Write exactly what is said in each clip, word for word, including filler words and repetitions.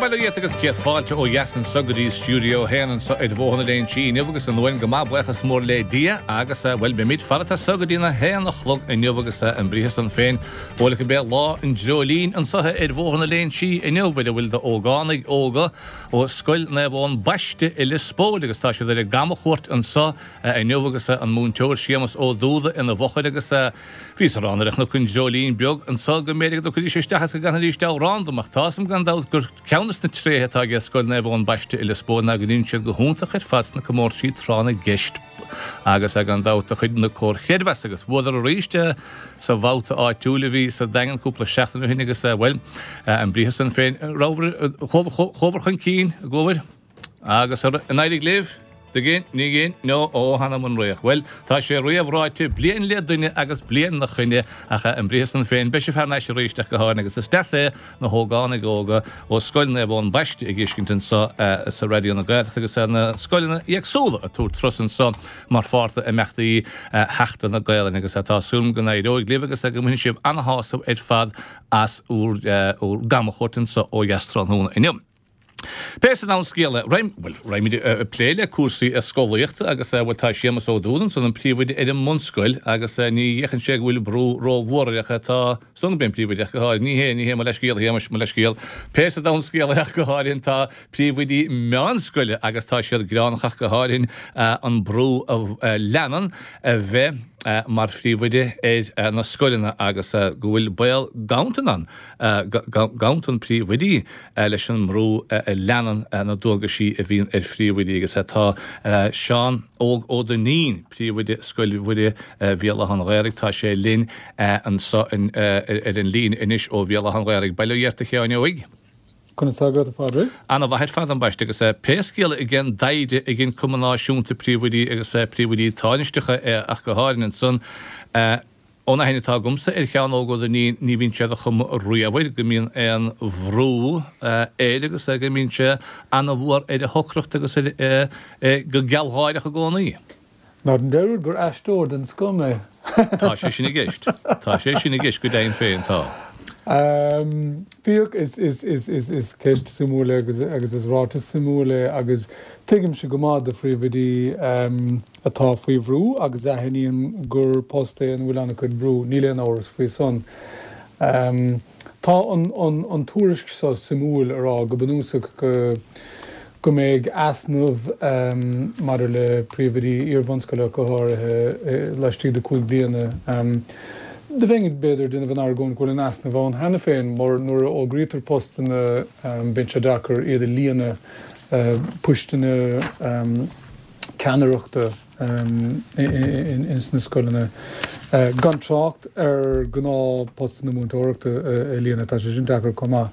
Bail ó Dhia ort agus céad fáilte ó dheas anso go dtí Stiúideo a haon anso ar Bhóthar na Léinsí inniu agus an uain go maith buíochas mór le Dia agus bhuel beimid farat anso go dtí na haon a chlog inniu agus an briathar san féin bhuel go b'é lá an dreoilín anso ar Bhóthar na Léinsí inniu ar a bhfuil d'ógánaigh óga ó Scoil Naomh Eoin Baiste i Lios Póil agus tá siad ar a gcamachuairt anso inniu agus an múinteoir Séamus Ó Dúda ina bhfochair agus bhíos ag rá nuair a chonac an dreoilín beag anso go mb'fhéidir go dtiocfaidís isteach agus go gcanfaidís amhrán dom ach tá 'fhios a'm gan dabht gur ceann des na tréithe atá ag Scoil Naomh Eoin Baiste i Lios Póil ná go ndéanann siad go hiontach ar fad sna comórtaisí tráth na gceist agus gan dabht de chuid na comhar chreidmheasa agus bhuadar arís sa bhabhta áitiúil a bhí sa Daingean cúpla seachtain ó shin agus bhuel an briathar san féin chuabhair chun cinn a gcuabhair agus an éirigh libh? Dtuigeann, ní ghin, no, ó, th'anam 'on fhraoch. Bhuel, tá sé réamhráite, bliain le duine agus bliain 'na choinne, ach an briathar san féin, beidh sibh thar n-ais arís ach go háirithe, agus is deas é na hógánaigh óga ó Scoil Naomh Eoin Baiste a dh'fheiscint anso sa Raidió na Gaeltachta agus na scoileanna éagsúla ag tabhairt turas anso mar pháirt d'imeachtaí Sheachtain na Gaelainne agus tá súil agam go n-éireoidh libh agus go mbainfidh sibh ana-shásamh ar fad as úr gcamachuairt anso ó dheas tráthnóna inniu. Pé sa domhan scéal é, bhuel, raghaimid ag plé le cúrsaí scolaíochta agus, bhuel, tá Séamus Ó Dúda ansan, an príomhoide ar an mbunscoil agus ní fhéachann sé go bhfuil brú rómhór air ach tá san go mbíonn príomhoide ach go háirithe, ní hé, ní hé, mo leithscéal, a Shéamais, mo leithscéal. Pé sa domhan scéal é ach go háirithe tá príomhoidí meánscoile agus tá siad gearánach ach go háirithe an brú a leanann a bheith mar phríomhoide ar na scoileanna agus go bhfuil baol ganntan ann, ganntan príomhoidí leis an mbrú a leanann na dualgaisí a bhíonn ar phríomhoidí agus tá Seán Óg Ó Duinnín, príomhoide Scoil Mhuire Bhéal Átha an Ghaorthaidh, tá sé linn anso ar an líne anois ó Bhéal Átha an Ghaorthaidh. Bail ó Dhia ort a Sheáin Óig. Conas tá agat, a Phádraig? Ana-mhaith ar fad, ambaiste, agus pé scéal é ag an dtaighde ag an Cumann Náisiúnta Príomhoidí agus Príomhoidí Tánaisteacha ach go háirithe ansan, ón aithne atá agamsa ar Sheán Óg Ó Duinnín, ní bhíonn sé de chuma riamh air go mbíonn aon bhrú air agus go mbíonn sé ana-mhór ar a shocracht agus ar go gealgháireach i gcónaí. Ná déan dearúd gur aisteoir den scoth mé. Tá sé sin i gceist. Tá sé sin i gceist go deimhin féin, tá. Féach, is, is, is, is, is ceist suimiúil é agus, agus is ráiteas suimiúil é agus tuigimse go maith do phríomhoidí atá faoi bhrú agus a aithníonn gur post é ina bhfuil an-chuid brú, níl aon amhras faoi san. Tá an tuairisc seo suimiúil a rá go bunúsach go go mbeidh easnamh maidir le príomhoidí iar-bhunscoile go háirithe laistigh de cúig bliana. Do bheinn b'fhéidir ag déanamh an argóint go bhfuil an easnamh ann cheana féin mar nuair a fhógraítear postanna bíonn sé deacair iad a líonadh, poisteanna ceannaireachta. ins na scoileanna, gan trácht ar ghnáthphostanna múinteoireachta a líonadh, tá sé sin deacair chomh maith.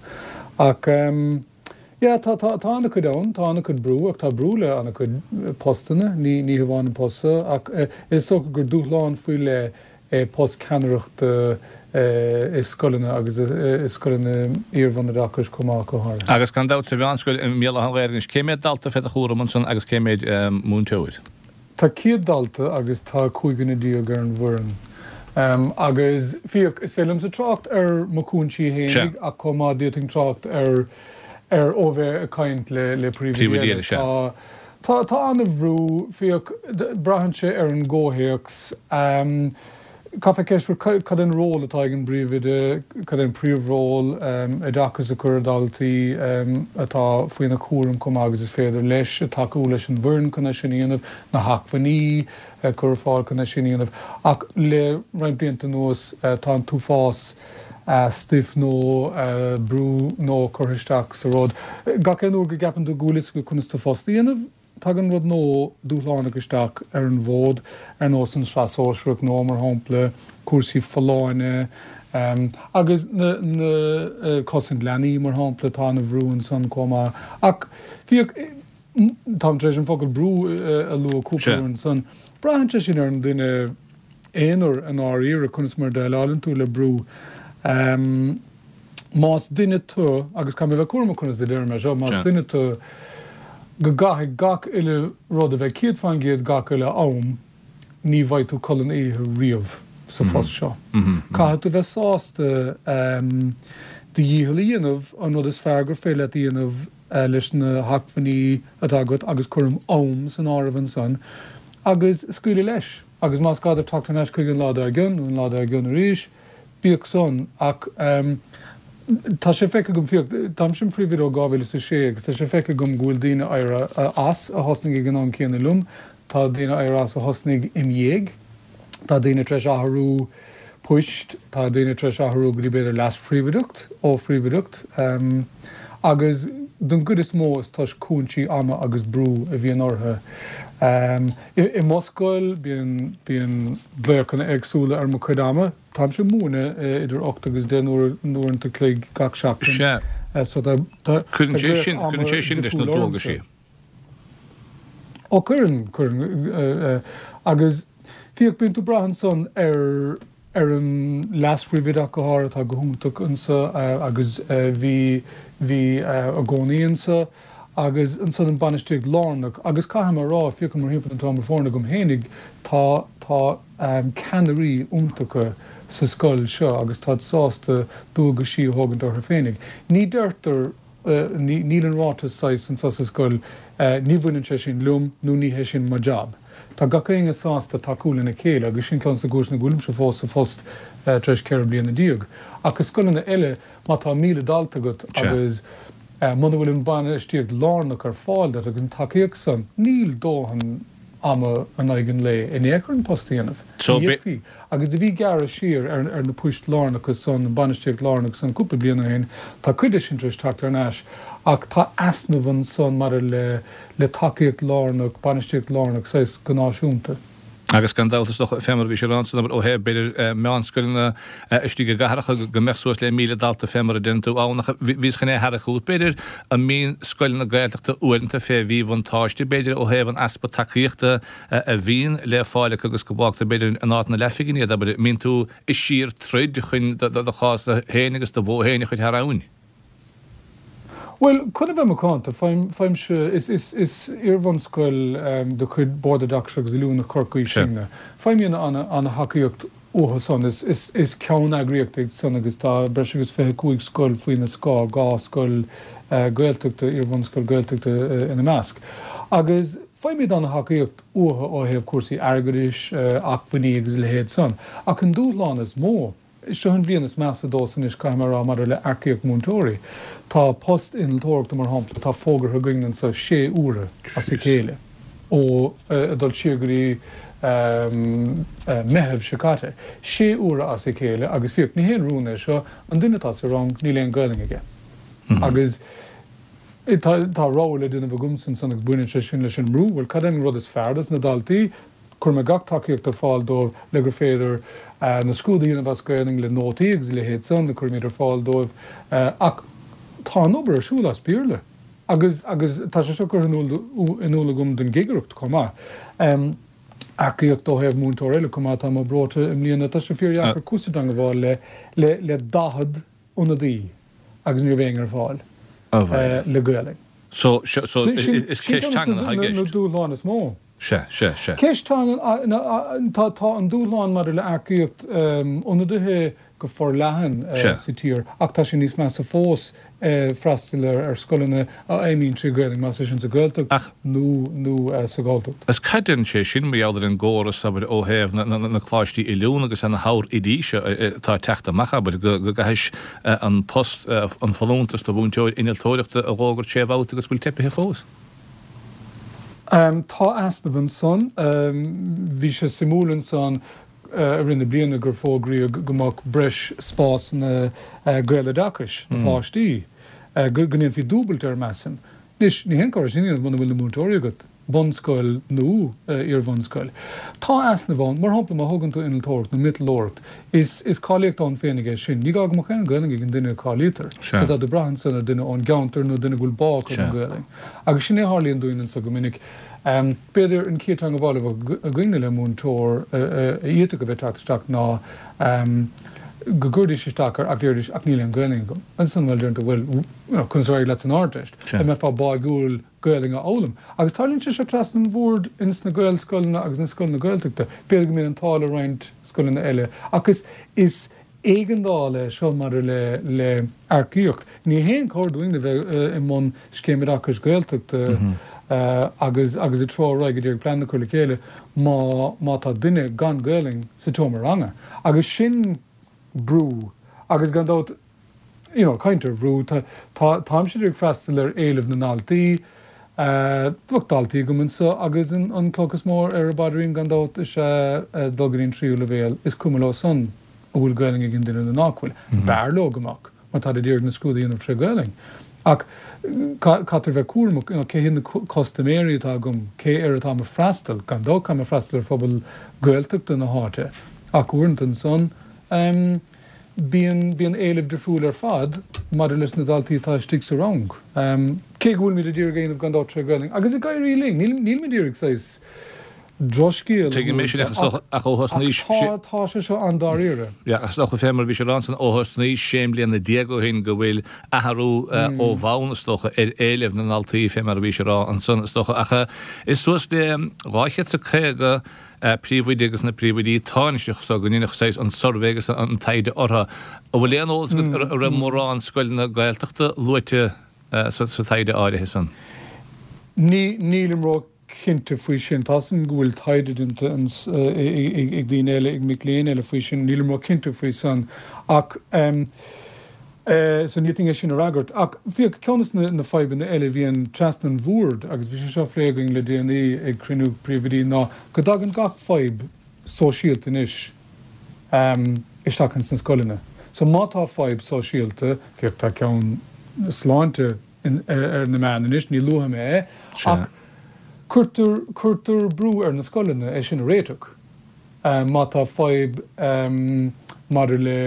Ach yeah, tá tá tá an-chuid ann, tá an-chuid brú, ach tá brú le an-chuid postanna, ní ní hamháin an post seo, ach is dócha gur dúshlán faoi leith é post ceannaireachta i scoileanna agus i scoileanna iar-bhunoideachais chomh maith, go háirithe. Agus gan dabht sa mheánscoil i mBéal Átha an Ghaorthaidh anois, cé mhéad dalta fé do chúram ansan agus cé mhéad múinteoir? Tá céad dalta agus tá cúig dhuine déag ar an bhfoireann. Agus, féach, is féidir liomsa trácht ar mo chúinsí fhéinig ach chomh maith d'fhéadfainn trácht ar ar ó bheith ag caint le le príomhoidí eile. Tá Tá, tá an-bhrú, féach, braitheann sé ar an gcomhthéacs. Caithfear ceist a chur cad é an ról atá ag an bpríomhoide, cad é an príomhról, oideachas a chur ar dhaltaí atá faoina chúram chomh maith agus is féidir leis, tacú leis an bhfoireann chun é sin a dhéanamh, na hacmhainní a chur ar fáil chun é sin a dhéanamh. Ach le roinnt blianta anuas tá an t-uafás stuif nó brú nó curtha isteach sa rud. Gach aon uair go gceapann tú go bhfuil fhios agat conas do phost a dhéanamh, tagann rud nó dúshlánach isteach ar an bhfód, ar nós an tSraith Shóisearach nó, mar shampla, cúrsaí folláine agus na na cosaint leanaí, mar shampla, tá an-bhrú ansan chomh maith. Ach féach, táim tar éis an focal brú a lua cúpla uair ansan, braitheann sé sin ar an duine, aonair i ndáiríre, conas mar a dhéileálann tú le brú. Más duine tú, agus caithfidh mé a bheith cúramach conas a deirim é seo, más duine tú go gcaithfidh gach uile rud a bheith céad faoin gcéad gach uile am, ní bheidh tú codladh na oíche riamh sa phost seo. Caithfidh tú bheith sásta do dhícheall a dhéanamh an rud is fearr gur féidir leat a dhéanamh leis na hacmhainní atá agat agus cuirim am san áireamh ansan agus scaoileadh leis agus más gá duit teacht thar n-ais chuige an lá dár gcionn nó an lá dár gcionn arís, bíodh san ach tá sé feicthe agam, féach, táimse im phríomhoide ó dhá mhíle is a sé agus tá sé feicthe agam go bhfuil daoine éirithe as a thosnaigh ag an am céanna liom, tá daoine éirithe as a thosnaigh im dhiaidh. Tá daoine tar éis athrú poist, tá daoine tar éis athrú go dtí b'fhéidir leas-phríomhoideacht ó phríomhoideacht agus don gcuid is mó is toisc cúinsí ama agus brú a bhíonn orthu. I mo scoil bíonn bíonn glaochanna éagsúla ar mo chuid ama. Táimse ag múineadh idir ocht agus deich n-uaireanta chloig gach seachtain. Sea. So tá tá Cuireann sé glaoch sin ama cuireann sé sin leis na difriúil dualgaisí. ormsa. Ó cuireann, cuireann. Agus féach, bíonn tú ag brath ansan ar ar an leas-phríomhoide ach go háirithe, atá go hiontach anso agus bhí bhí i gcónaí anso agus ansan an bainistíocht lárnach agus caithfidh mé a rá, féachaim mórthimpeall an t-am ar foirne agam fhéinig, tá tá ceannairí iontacha sa scoil seo agus táid sásta dualgaisí a thógaint orthu féinig. Ní deirtear Níl an ráiteas saghas anso sa scoil, ní bhaineann sé sin liom nó ní hé sin mo jab. Tá gach éinne sásta tacú lena chéile agus sin ceann de na cúiseanna go bhfuilimse fós sa phost tar éis ceithre bliana déag. Ach i scoileanna eile, má tá míle dalta agat agus muna bhfuil an bainistíocht lárnach ar fáil duit agus an tacaíocht san, níl dóthain ama in aghaidh an lae in aon chor an post a dhéanamh. So Ní be. fhéadfaí. Agus do bhí gearradh siar ar ar na poist lárnacha san, an bainistíocht lárnach san cúpla bliain ó shin. Tá cuid de sin tar éis teacht thar n-ais ach tá easnamh ansan maidir le le tacaíocht lárnach, bainistíocht lárnach saghas go náisiúnta. Agus gan dabht is dócha, fé mar a bhí sé ráite ansan, ó thaobh b'fhéidir meánscoileanna istigh i gcathracha go mbeadh suas le míle dalta fé mar a deireann tú ann ach bhíos chun é a tharrac chugat b'fhéidir an mbíonn scoileanna Gaeltachta uaireanta fé mhíbhuntáiste b'fhéidir ó thaobh an easpa tacaíochta a bhíonn le fáil acu agus go bhfágtar b'fhéidir in áit na leathphingine iad abair mbíonn tú ag síor-troid chun do chás féin agus do bhó féin a chur thar abhainn. Bhuel, chun a bheith macánta, faighimse, is, is, is iarbhunscoil de chuid Bord Oideachais agus Oiliúna Chorcaí sinne. Faighimid ana-thacaíocht uathu san. Is, is, is ceanneagraíocht iad san agus tá breis agus fiche cúig scoil faoina scáth, dhá scoil Gaeltachta, iarbhunscoil Gaeltachta ina measc. Agus faighimid ana-thacaíocht uathu ó thaobh cúrsaí airgeadais, acmhainní agus a leithéid san. Ach an dúshlán is mó, Seo an bhliain is measa domhsa anois, caithfidh mé a rá, maidir le earcaíocht múinteoirí. Tá post innealtóireachta, mar shampla, atá fógartha againn anso sé huaire as a chéile, ó ag dul siar go dtí Meitheamh seo caite. Sé huaire as a chéile agus féach, ní haon rún é seo, an duine atá sa rang, níl aon Ghaelainn aige. Agus tá tá rogha le déanamh agamsa ansan agus baineann sé sin leis an mbrú, bhuel, cad é an rud is fearr dos na daltaí? Cuirfidh mé gach tacaíocht ar fáil dóibh le gur féidir na scrúduithe a dhéanamh as Gaelainn le nótaí agus a leithéid san a chuirimid ar fáil dóibh ach tá an obair ar siúl as Béarla agus agus tá sé seo curtha in iúl in iúl agam don gcigireacht chomh maith. Earcaíocht ó thaobh múinteoir eile chomh maith, tá mé breoite i mbliana, tá sé fíordheacair cúrsa teanga a fháil le le le daichead ionadaí agus ní raibh éinne ar fáil le Gaelainn. So so Sin is sin ceist ceann teangan de atá i na gceist. dúshláin is mó. Sea, sea, sea. Ceist teangan, tá tá an dúshlán maidir le earcaíocht ionadaithe go forleathan Sea. sa tír ach tá sé níos measa fós freastal ar scoileanna a fheidhmíonn trí Ghaelainn, más é sin sa Ghaeltacht Ach. nó nó sa Ghalltacht. Is cad deireann sé sin mar gheall ar an gcóras, abair, ó thaobh na na na coláistí oiliúna agus na hábhair seo atá ag teacht amach, abair, go go gcaithfidh an post, an folúntas do mhúinteoir innealtóireachta a dh'fhógairt sé bhabhta agus go bhfuil teipithe fós? Tá easnamh ansan. Bhí sé suimiúil ansan i rith na bliana gur fógraíodh go mbeadh breis spásanna Gaeloideachais do pháistí, go ndéanfaí dúbailt air, measaim. Anois, ní haon chor é sin a dhéanamh muna bhfuil na múinteoirí agat, bunscoil nó iar-bhunscoil. Tá easnamh ann. Mar shampla, má thógann tú innealtóireacht nó miotalóireacht, is is cáilíocht ann féinig é sin. Ní gá go mbeadh aon Ghaelainn ag an duine a cáilítear. Sea. So tá tú ag brath ansan ar duine ón gceantar nó duine go bhfuil bá acu don Sea. Ghaelainn. Agus sin é a tharlaíonn dúinn anso go minic. B'fhéidir an chéad teagmháil a bheadh againne le múinteoir a fhéadfadh a bheith ag teacht isteach ná go gcuirdís isteach air ach déarfaidís ach níl aon Ghaelainn agam. Ansan bhuel deireann tú bhuel you know conas ar éirigh leat san Ardteist? Sea. An mbeifeá báúil Gaelainn a fhoghlaim? Agus tarlaíonn sé seo trasna an bhoird ins na Gaelscoileanna agus na scoileanna Gaeltachta. B'fhéidir go mbíonn an t-ádh le roinnt scoileanna eile ach is is éigeandáil é seo maidir le le earcaíocht. Ní haon chóir dúinn a bheith i mbun scéim oideachais Gaeltachta agus agus ag treabhadh ar aghaidh ag iarraidh plean a chur le chéile má má tá duine gan Gaelainn sa tseomra ranga. Agus sin brú agus gan dabht you know caint ar bhrú tá tá táimse ag freastal ar éilimh na ndaltaí, bheadh daltaí agam anseo agus an an cloch is mó ar a bpaidrín gan dabht is ea dul go dtí an tríú leibhéal, is cuma leo san an bhfuil Gaelainn ag an duine nó nach bhfuil. B'fhearr leo go mbeadh, mar táid ag iarraidh na scrúduithe a dhéanamh tré Ghaelainn. Ach caithfear bheith cúramach, you know, cé hiad na custaiméirí atá agam, cé air atáim ag freastal, gan dabht táim ag freastal ar phobal Gaeltachta na háite, ach uaireanta ansan, bíonn, bíonn éilimh difriúil ar fad maidir leis na daltaí atá istigh sa rang. Cé go bhfuilimid ag iarraidh a dhéanamh gan dabht tré Ghaelainn, agus ag éirí linn, níl, nílimid ag iarraidh saghas drochscéal a Tuigim é sin ach ach ó thosnaís Ach tá, tá sé seo an-dáiríre. Yeah, ach is dócha fé mar a bhís ag rá ansan ó thosnaís sé mbliana déag ó shin go bhfuil athrú ó bhonn is dócha ar éilimh na ndaltaí fé mar a bhís ag rá ansan is dócha ach is suas le dhá chéad is caoga príomhoide agus na príomhoidí tánaisteach so go ndéanfadh saghas an suirbhé agus an taighde orthu. An bhfuil aon eolas agat an raibh mórán scoileanna Gaeltachta luaite sa taighde áirithe san? Ní, nílim ró cinnte faoi sin. Tá 's agam go bhfuil taighde déanta ag daoine eile, ag mic léinn eile faoi sin. Nílim ró cinnte faoi san. Ach so ní fhéadfainn é sin a fhreagairt. Ach féach, ceann de na fadhbanna eile a bhíonn trasna an bhoird, agus bhí sé seo á phlé againn le déanaí ag cruinniú príomhoidí, ná go dtagann gach fadhb sóisialta anois isteach ins na scoileanna. So má tá fadhb sóisialta, féach tá ceann sláinte ar na meáin anois, ní luafaidh mé é, ach cuirtear, cuirtear brú ar na scoileanna é sin a réiteach. Má tá fadhb maidir le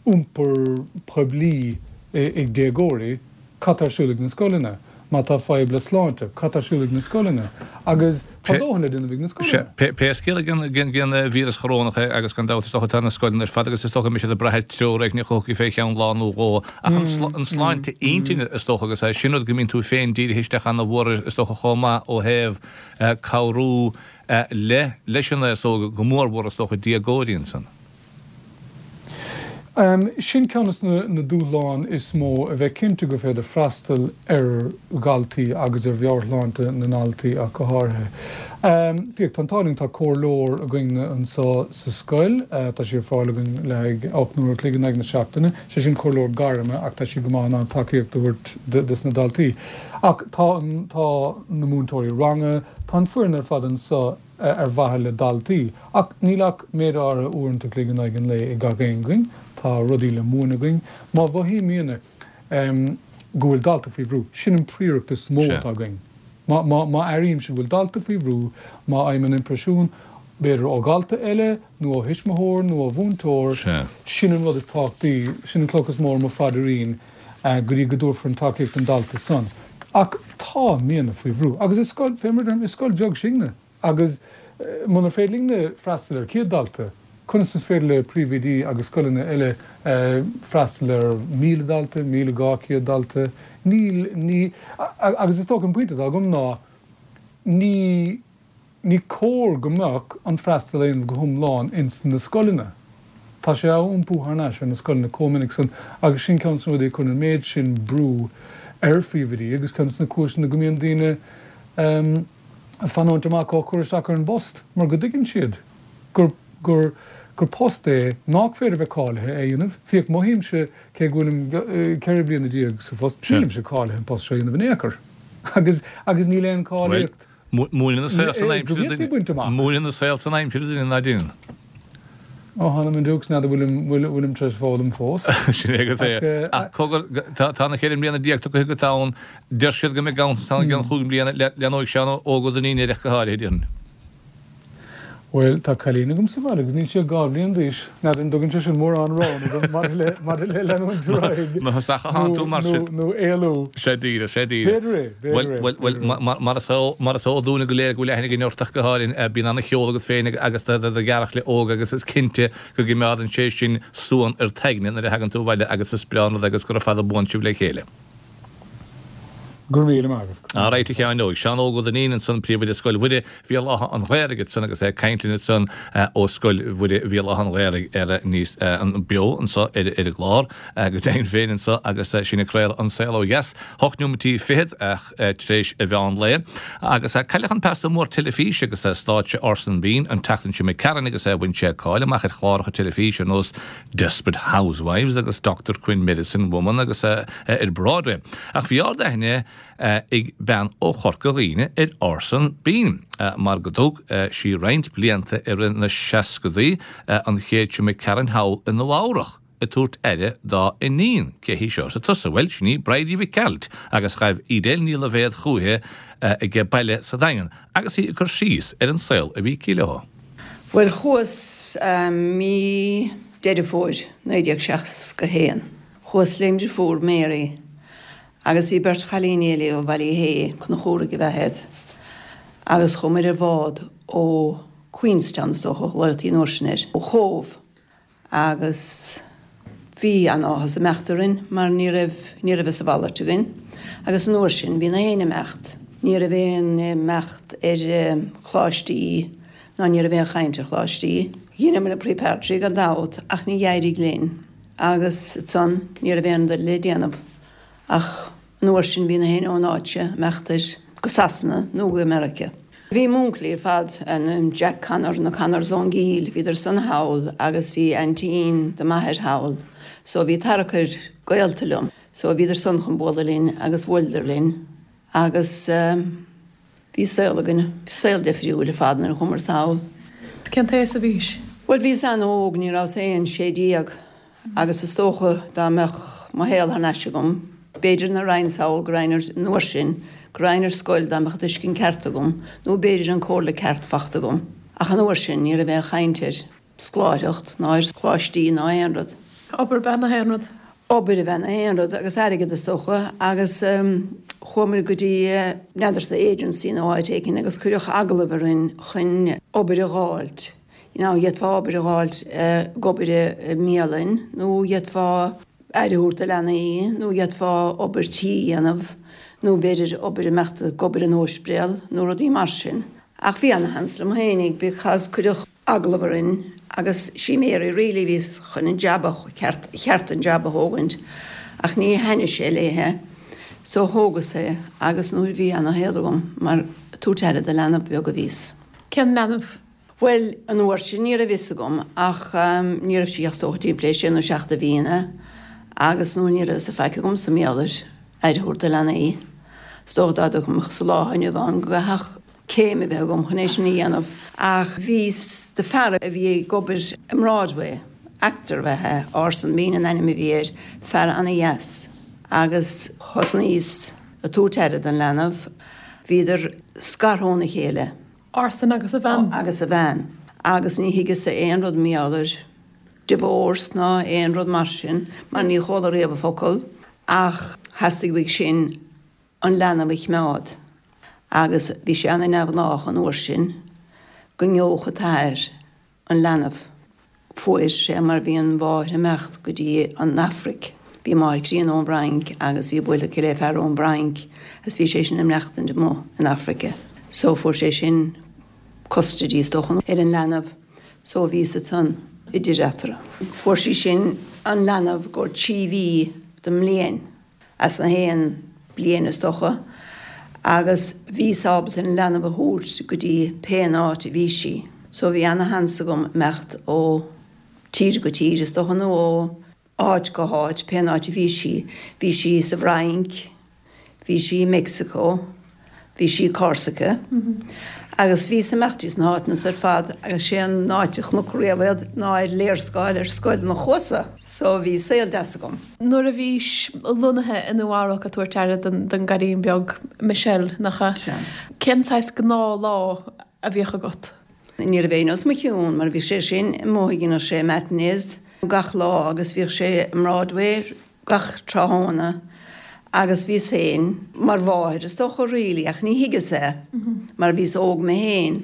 iompar poiblí ag déagóirí, cad tá ar siúl ag na scoileanna? Má tá fadhb le sláinte, cad tá ar siúl ag na scoileanna? Agus tá dóthain le déanamh ag na scoileanna. Pé scéal é den víreas chorónach é agus gan dabht is dócha tá na scoileanna ar fad agus is dócha go mbeidh siad ag brath ar treoir éigin a thiocfaidh fé cheann lá nó dhó. Ach an sláinte intinne is dócha agus é sin rud go mbíonn tú féin dírithe isteach ana-mhór air is dócha chomh maith ó thaobh cabhrú le leis an aos óg go mórmhór is dócha déagóirí ansan. Sin ceann de na dúshláin is mó, a bheith cinnte gur féidir freastal ar dhaltaí agus ar mheabhairshláinte na ndaltaí ach go háirithe. Féach, tá an t-ádh linn, tá comhairleoir againn anseo sa scoil, tá sí ar fáil againn le haghaidh ocht n-uair a chloig in aghaidh na seachtaine, sé sin comhairleoir gairme ach tá sí go maith in ann tacaíocht a thabhairt dos na daltaí. Ach tá tá na múinteoirí ranga, tá an foireann ar fad anseo ar mhaithe le daltaí. Ach níl ach méid áirithe uaireanta a chloig in aghaidh an lae ag gach aon againn. Tá rudaí le múineadh againn. Má mhothaímidne go bhfuil dalta faoi bhrú, sin an phríoracht is mó atá againn. Má, má, má airímse go bhfuil dalta faoi bhrú, má fhaighim an impreisiún, b'fhéidir ó dhalta eile nó ó thuismitheoir nó ó mhúinteoir, sin an rud is tábhachtaí, sin an cloch is mó ar mo phaidrín go dtí go dtabharfar an tacaíocht don dalta san. Ach táimidne faoi bhrú. Agus is scoil, fé mar a deirim, is scoil bheag sinne. Agus munar féidir linne freastal ar céad dalta, conas is féidir le príomhoidí agus scoileanna eile freastal ar míle dalta, míle dhá chéad dalta? Níl, ní, agus is dócha an pointe atá agam ná ní, ní cóir go mbeadh an freastal á dhéanamh go hiomlán ins na scoileanna. Tá sé á iompú thar n-ais ar na scoileanna chomh minic san agus sin ceann de na rudaí a chuireann an méid sin brú ar phríomhoidí agus ceann de na cúiseanna go mbíonn daoine ag fanúint amach ó chur isteach ar an bpost mar go dtuigeann siad gur gur gur post é nách féidir a bheith cáilithe é a dhéanamh. Féach, mothaímse, cé go bhfuilim ceithre bliana déag sa phost, nílimse cáilithe an post seo a dhéanamh in aon chor agus agus níl aon cáilíocht Múineann an saol san aimsir duine. Múineann an saol san aimsir duine ná déanann. Ó, th'anam 'on diúcs, n'fheadar bhfuilim, bhfuilim tar éis foghlaim fós. Sin é agat é. Ach cogar, tá na ceithre mbliana déag tugtha agat ann, deir siad go mbeidh ganntanas ann i gceann chúig mbliana, leanóidh Seán Óg Ó Duinnín air ach go háirithe, déarfainn. Bhuel, tá cailín agam sa bhaile agus níl sí ach dhá bhliain d'aois. N'fheadar an dtugann sé sin mórán roghanna dom maidir le, maidir le leanúint ar aghaidh Má thosach a thánn tú mar sin. nó, nó éalú. Sea díreach, sea díreach. B'fhéidir é, b'fhéidir Bhuel, é, bhuel, bhuel, b'fhéidir é. mar, mar is eol, mar is eol dúinne go léir go bhfuil aithne againn ort ach go háirithe, bíonn ana-cheol agat féin agus do, do ghearrchaile óg agus is cinnte go gcoimeádann sé sin suan ar t'aigne nuair a thagann tú abhaile agus is breá an rud é agus gura fada buan sibh le chéile. Go raibh míle maith agat. Alright a Sheáin Óig. Seán Óg Ó Duinnín ansan, Príomhoide Scoil Mhuire Bhéal Átha an Ghaorthaidh ansan agus é ag caint linn ansan ó Scoil Mhuire Bhéal Átha an Ghaorthaidh ar níos beo anso ar ar an gclár go deimhin féin anso agus sinn ag craoladh An Saol Ó Dheas, hocht neomatí fichead tar éis a mheán lae. Agus cailleadh an pearsa mór teilifíse agus stáitse Orson Bean an tseachtain seo imigh tharainn agus bhain sé cáil amach ar chláracha teilifíse ar nós Desperate Housewives agus Doctor Quinn Medicine Woman agus ar Broadway. Ach bhí ard-aithne ag bean ó Chorca Dhuibhne ar Orson Bean, mar go dtug sí roinnt blianta i rith na seascadaí an chéad seo imigh tharainn thall i Nua Eabhrach ag tabhairt aire dá iníon. Cé hí seo arsa tusa? Bhuel, sin í Bridie Mhic Gearailt agus ghaibh Edel Ní Loibhéad chúiche ag baile sa Daingean agus í ag cur síos ar an saol a bhí aici leo. Bhuel, chuas mí Deireadh Fómhair naoi déag seasca haon. Chuas lem deirfiúr Mary agus bhí beirt chailíní eile ó Bhaile Átha Conchúraigh ab ea iad agus chuamar ar bhád ó Queenstown is dócha a ghlaotaí an uair sin air, ó Chóbh agus bhí an-áthas imeacht orainn mar ní raibh, ní raibh a mhalairt againn agus an uair sin bhí na héinne imeacht. Ní raibh aon imeacht ar choláistí ná ní raibh aon chaint ar choláistí. Dheineamar an preparatory gan dabht ach ní éirigh linn agus ansan ní raibh aon rud le déanamh. Ach an uair sin bhí na héinne ón áit seo imeacht ar go Sasana nó go Meiriceá. Bhí m'únclaí ar fad, an Jack Connor, na Connors ón gCill, bhíodar san thall agus bhí aintín do m'athair thall so bhí tarchur gaolta liom. So bhíodar san chun bualadh linn agus bhuaileadar linn agus bhí saol againn, saol difriúil ar fad nuair a chuamar sall. Cén t-aois a bhís? Bhuel bhíos an-óg, ní rabhas aon sé déag agus is dócha dá mbeadh mo shaol thar n-ais agam, b'fhéidir nach raghainn sall, go raghainn ar, an uair sin, go raghainn ar scoil dá mbeadh an tuiscint ceart agam nó b'fhéidir an comhairle ceart fachta agam. Ach an uair sin ní raibh aon chaint ar scoláireacht ná ar choláistí ná aon rud. Obair ab ea na haon rud. Obair ab ea na haon rud agus airgead is dócha agus chuamar go dtí n'fheadarsa agency nó áit éicint agus cuireadh agallamh orainn chun obair a dh'fháilt. You know, d'fhéadfá obair a dh'fháilt ag obair i mbialann nó d'fhéadfá aire a thabhairt do leanaí nó d'fhéadfá obair tí a dhéanamh nó b'fhéidir obair imeacht ag obair in óispidéal nó rudaí mar sin. Ach bhí ana-sheans liom fhéinig because cuireadh agallamh orainn agus sí Mary really a bhí chun an jab a cheart cheart an jab a thógaint ach ní thaitnigh sé léithe so thógas é agus nuair bhí ana-shaol agam mar ag tabhairt aire do leanbh beag a bhíos. Cén leanbh? Bhuel, an uair sin ní raibh fhios agam ach ní raibh sí ach is dócha timpeall sé nó seacht de bhliana agus nó ní raibh fhios faic agam sa mbealach ar aire a thabhairt do leanaí. Is dócha dá dtiocfadh sa lá inniu ann go gcaithfeadh céim a bheith agam chun é sin a dhéanamh. Ach bhíos do fear a bhí ag obair i mBroadway, actor ab ea é, Orson Bean an ainm a bhí air, fear ana-dheas. Agus thosnaíos ag tabhairt aire don leanbh. Bhíodar scartha óna chéile. Orson agus a bhean. Agus a bhean. Agus ní thuigeas-sa aon rud mar gheall ar divorce ná aon rud mar sin, mar ní chuala riamh an focal, ach theastaigh uaidh sin an leanbh a choimeád. Agus bhí sé ana-neamhghnách an uair sin go ngeobhadh an t-athair an leanbh. Fuair sé mar bhí an mháthair imeacht go dtí an Afraic. Bhí máthair críonna ón bhFrainc agus bhí buailte aici le fear ón bhFrainc agus bhí sé sin ag maireachtaint amuigh in Africa. So fuair sé sin custody is dócha ar an leanbh so bhíos ansan idir eatarthu. Fuair sí sin an leanbh i gcomhair trí mhí den mbliain, as na haon bliain is dócha, agus bhíos ábalta an leanbh a thabhairt go dtí pén áit a bhí sí. So bhí ana-sheans agam imeacht ó tír go tír is dócha nó ó áit go háit, pén áit a bhí sí. Bhí sí sa bhFrainc, bhí sí i Meicsiceo, bhí sí i Corsica agus bhíos ag imeacht dtí sna háiteanna ar fad agus sé an áit a chonac riamh iad ná ar léarscáil ar scoil na chuasa. So bhí saol deas agam. Nuair a bhís lonnaithe i Nua Eabhrac ag tabhairt aire don don gcailín beag Michelle, nach ea? Sea. Cén saghas gnáthlá a bhíodh agat? Ní raibh éinne os mo chionn mar bhí sé sin amuigh dhéanadh sé matinees gach lá agus bhíodh sé i mBroadway gach tráthnóna agus bhíos féin mar mháthair is dócha really ach ní thuigeas é mar bhíos óg mé féin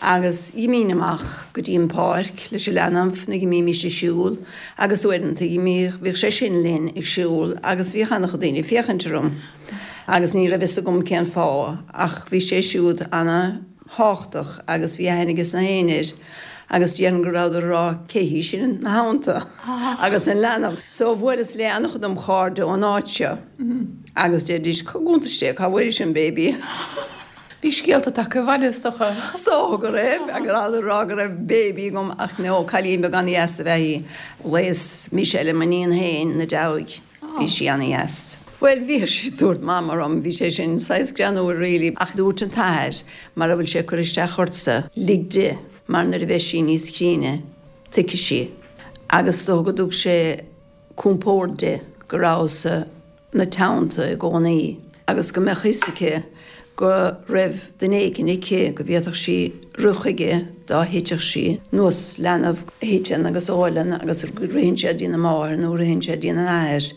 Agus d'imínn amach go dtí an pháirc leis an leanbh nó d'imímis ag siúl agus uaireanta d'imíodh, bhíodh sé sin linn ag siúl agus bhíodh an-chuid daoine ag féachaint orm agus ní raibh fhios agam cén fáth ach bhí sé siúd ana-thábhachtach agus bhí aithne aige na héinne air agus déarfainn go rabhadar ag rá cé hí sin ina theannta agus an leanbh. So bhuaileas le an-chuid dem chairde ón áit seo agus deiridís cá gcuntais Dé cá bhfuairis an baby? Bhí scéalta tagtha abhaile, is dócha. Is dócha go raibh, go rabhadar ag rá go raibh baby agam ach no, cailín beag an-dheas ab ea í. Ghlaos Michelle ar m'iníon féin ina deabhaidh. Bhí sí an-dheas. Bhuel, bhíodh sí ag tabhairt mama orm, bhí sé sin saghas greannmhar really, ach dúirt an t-athair, mara bhfuil sé ag cur isteach ortsa, lig di, mar nuair a bheidh sí níos críne, tuigfidh sí. Agus is dócha go dtug sé compord di go rabhas-sa 'na teannta i gcónaí agus go mbeadh fhios aici go raibh duine éicint aici go bhféadfadh sí rith chuige dá thitfeadh sí, nós leanbh a thiteann agus a ghoileann agus ritheann sé dtína máthair nó ritheann sé dtína athair.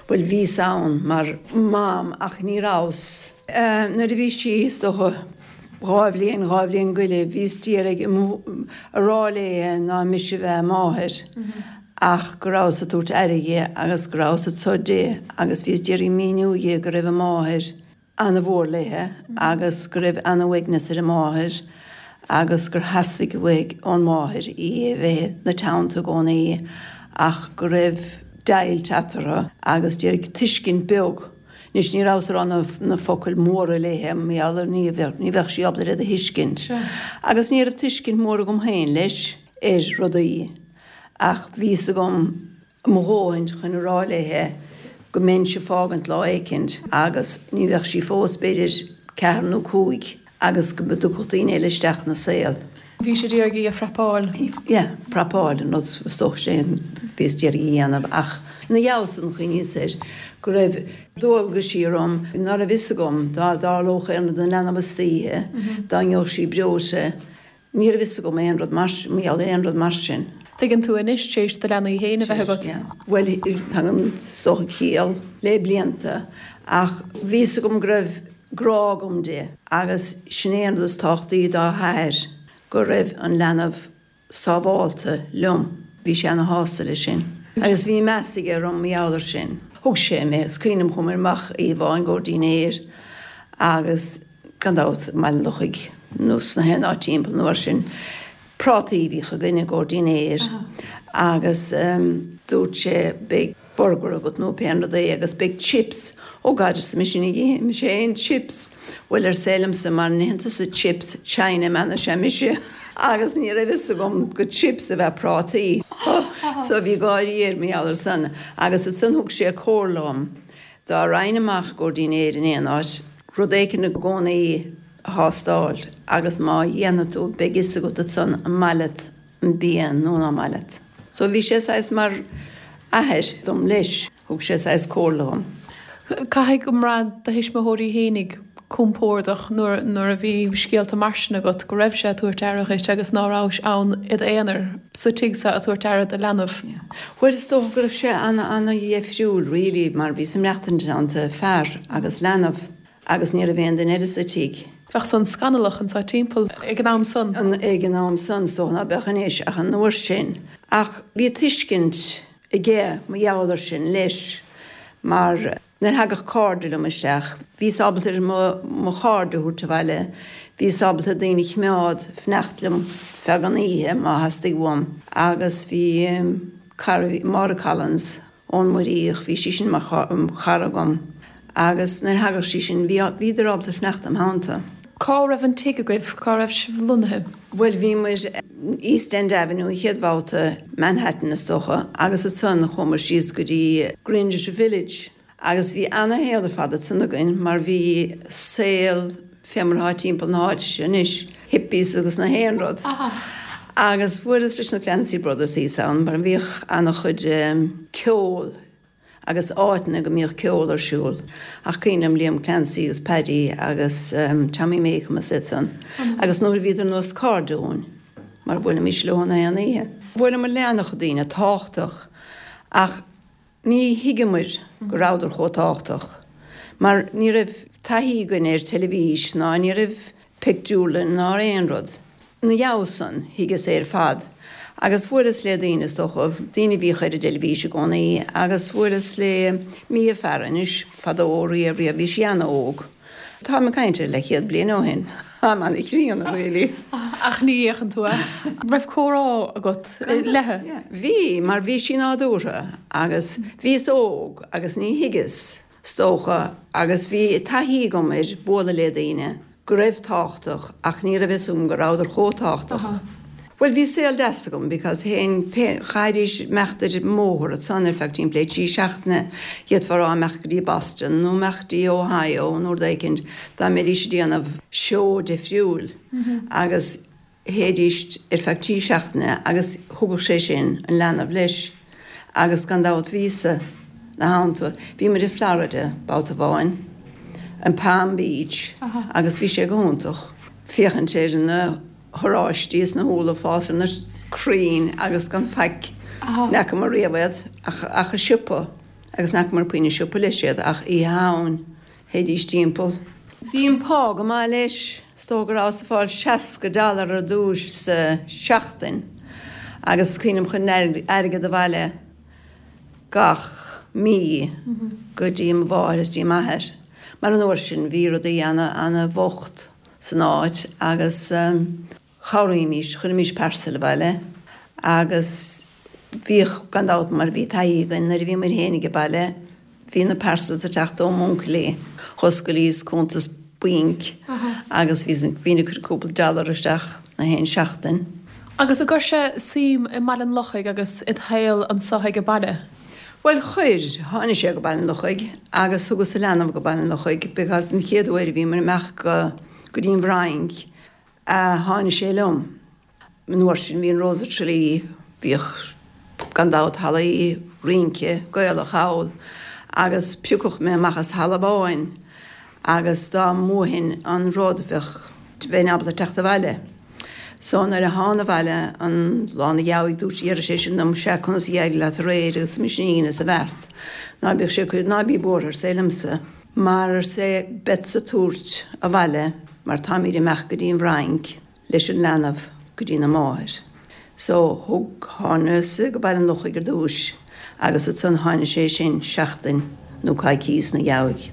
Bhuel, bhíos ann mar mham ach ní rabhas. Nuair a bhí sí, is dócha, dhá bhliain, dhá bhliain go leith, bhíos d'iarraidh a rá léi ná mise a bheith a máthair ach go rabhas ag tabhairt aire dhi agus go rabhas anso di agus bhíos d'iarraidh míniú dhi go raibh a máthair ana-mhór léithe agus go raibh ana-uaigneas ar a máthair agus gur theastaigh uaidh ón máthair í a bheith 'na teannta i gcónaí ach go raibh deighilt eatarthu agus d'iarraidh tuiscint beag Anois ní rabhas ag rá na focail mhóra léithe mar gheall ar ní ní bheadh sí ábalta iad a thuiscint. Agus ní raibh tuiscint mhór agam féin leis ar rudaí ach bhí fhios agam mo dhóthain chun a rá léithe go mbeinnse ag fágaint lá éicint agus ní bheadh sí fós b'fhéidir ceathair nó cúig agus go dtiocfadh daoine eile isteach ina saol. Bhí sé d'iarraidh í a phrapáil. Yeah, prapáil an rud is dócha sin bhíos d'iarraidh a dhéanamh ach ina dhiaidh san chuimhníos air go raibh dualgaisí orm ná raibh fhios agam dá dtarlódh aon rud don leanbh istoíche, dá ngeobhadh sí breoite, ní raibh fhios agam aon rud mar mar gheall ar aon rud mar sin. Tuigeann tú anois tar éis do leanaí féin a bheith agat. Bhuel, tagann is dócha ciall le blianta ach bhí fhios agam go raibh grá agam di agus sin é an rud is tábhachtaí dá hathair, go raibh an leanbh sábhálta liom. Bhí sé ana shásta leis sin. Agus bhí meas aige orm mar gheall ar sin. Thug sé mé, is cuimhin liom chuamar amach oíche amháin i gcomhair dinnéir agus gan dabht i mBaile an Lochaigh nó sna haon áit timpeall nó mar sin, prátaí a bhíodh againn i gcomhair dinnéir agus dúirt sé beidh burger agat nó pé rud é agus beidh chips. Oh God, arsa mise, ní ithfidh mise aon chips. Bhuel, arsa é liomsa, mara n-itheann tusa chips, China man is ea mise. Agus ní raibh fhios agam gur chips ab ea prátaí. So bhí gáirí air mar gheall ar san. Agus ansan thug sé comhairle dhom, dá raghainn amach i gcomhair dinnéir in aon áit, rud éicint i gcónaí a thástáil agus má dhéanfaidh tú beidh fhios agat ansan an maith leat an bia nó ná maith leat. So bhí sé saghas mar athair dom leis, thug sé saghas comhairle dhom. Caithfidh go mbraith do thuismitheoirí fhéinig compordach nuair nuair a bhí scéalta mar sin agat, go raibh sé ag tabhairt aire dhuit agus ná rabhais ann i d'aonar sa tigh so ag tabhairt aire do leanbh. Bhuel is dócha go raibh sé ana-ana-dheifriúil really mar bhíos ag maireachtaint i dteannta fear agus leanbh. Agus ní raibh aon duine eile sa tigh. Bheadh san scannalach anso timpeall ag an am san. Ag an am san, is dócha ná beadh anois, ach an uair sin. Ach bhí tuiscint aige mar gheall ar sin leis, mar nuair a thagadh cairde liom isteach, bhíos ábalta ar mo chairde a thabhairt abhaile, bhíos ábalta daoine a chimeád fanacht liom feadh an oíche má theastaigh uaim. Agus bhí cara, Máire Collins, ón Muiríoch, bhí sí sin mar chara agam agus nuair a thagadh sí sin, bhí, bhíodar ábalta fanacht im theannta. Cá raibh an tigh agaibh? Cá raibh sibh lonnaithe? Bhuel, bhí muid East End Avenue an chéad bhabhta, Manhattan is dócha, agus ansan chuamar síos go dtí Greenwich Village. Agus bhí ana-shaol ar fad ansan againn mar bhí saol fé mar atá timpeall na háite seo anois, hippies agus na haon rud. Agus bhuaileas leis na Clancy Brothers thíos ann mar bhíodh ana-chuid ceol agus áiteanna go mbíodh ceol ar siúl. Ach cuimhin liom Liam Clancy agus Paddy agus Tommy Makem is iad san. Agus nuair a bhíodar nós cairde dhúinn mar bhuailimis leo na haon oíche. Bhuaileamar le ana-chuid daoine tábhachtach ach Ní thuigeamair go rabhadar chomh tábhachtach mar ní raibh taithí againn ar teilifís ná ní raibh pictiúrlann ná aon rud. Ina dhiaidh san, thuigeas é ar fad. Agus bhuaileas le daoine, is dócha, daoine a bhíodh ar an dteilifís i gcónaí, agus bhuaileas le Mia Farrow anois, fadó, riamh, riamh, bhí sí an-óg. Táim ag caint ar leathchéad bliain ó shin. Am an-chríonna, really. Ach ní fhéachann tú air. Raibh comhrá agat léi? Bhí, mar bhí sí nádúrtha agus bhíos óg agus ní thuigeas, is dócha, agus bhí taithí agam ar bualadh le daoine. go raibh tábhachtach ach ní raibh fhios agam go rabhadar chomh tábhachtach. Bhuel bhí saol deas agam because théinn pé, chaithfidís imeacht ar an mbóthar ansan ar feadh timpeall le trí seachtaine, d'fhéadfá a rá imeacht go dtí Boston nó imeacht dtí Ohio nó rud éicint dá mbeidís ag déanamh seó difriúil agus théidís ar feadh trí seachtaine agus thugadh sé sin an leanbh leis agus gan dabht bhíos-sa 'na theannta. Bhí muid i Florida babhta amháin, in Palm Beach agus bhí sé go hiontach féachaint ar na horáistí is na húlla ag fás ar na crainn agus gan faic, n'fheacamar riamh iad ach ach i siopa agus n'fheacamar puinn i siopa leis iad ach oíche Shamhain. Théidís timpeall. Bhí an pá go maith leis. Is dóigh go rabhas ag fáil seasca dollar ar dtúis sa seachtain agus is cuimhin liom chuirinn airgead abhaile gach mí go dtí mo mháthair is dtí m'athair mar an uair sin bhí rudaí ana ana bhocht san áit agus chabhraímís, chuirimís parcel abhaile agus bhíodh gan dabht mar bhí taithí againn nuair a bhí muid féinig ag baile Bhí na parcels ag teacht ó m'uncailí. Dh'oscailíos cuntas bainc agus bhínn ag cur cúpla dollar isteach na haon seachtain. Agus an gcuir sé suim i mBaile an Lochaigh agus id shaol anso ag baile? Bhuel chuir. Tháinig sé go Baile an Lochaigh agus thugas an leanbh go Baile an Lochaigh because an chéad uair a bhíomar amach go go dtí an bhFrainc tháinig sé liom. An uair sin bhí an Rose of Tralee, bhíodh gan dabht hallaí rince Gaelach thall agus piocfadh mé amach as halla amháin agus dá mbuafainn an rud bheadh, bheinn ábalta teacht abhaile. So nuair a thána abhaile an lá 'na dheabhaidh dúirt, deireadh sé sin dom, sea conas a d'éirigh leat aréir agus mise ina dhíon is a bheart. Ná bíodh sé ag cur, ná bí buartha arsa é liomsa mar arsa é beadsa tabhairt abhaile mar táimíd amach go dtí an bhFrainc. leis an leanbh go dtí na máthair. So thug, thánas go Baile an Lochaigh ar dtúis agus ansan tháinig sé sin seachtain nó coicíos 'na dheabhaidh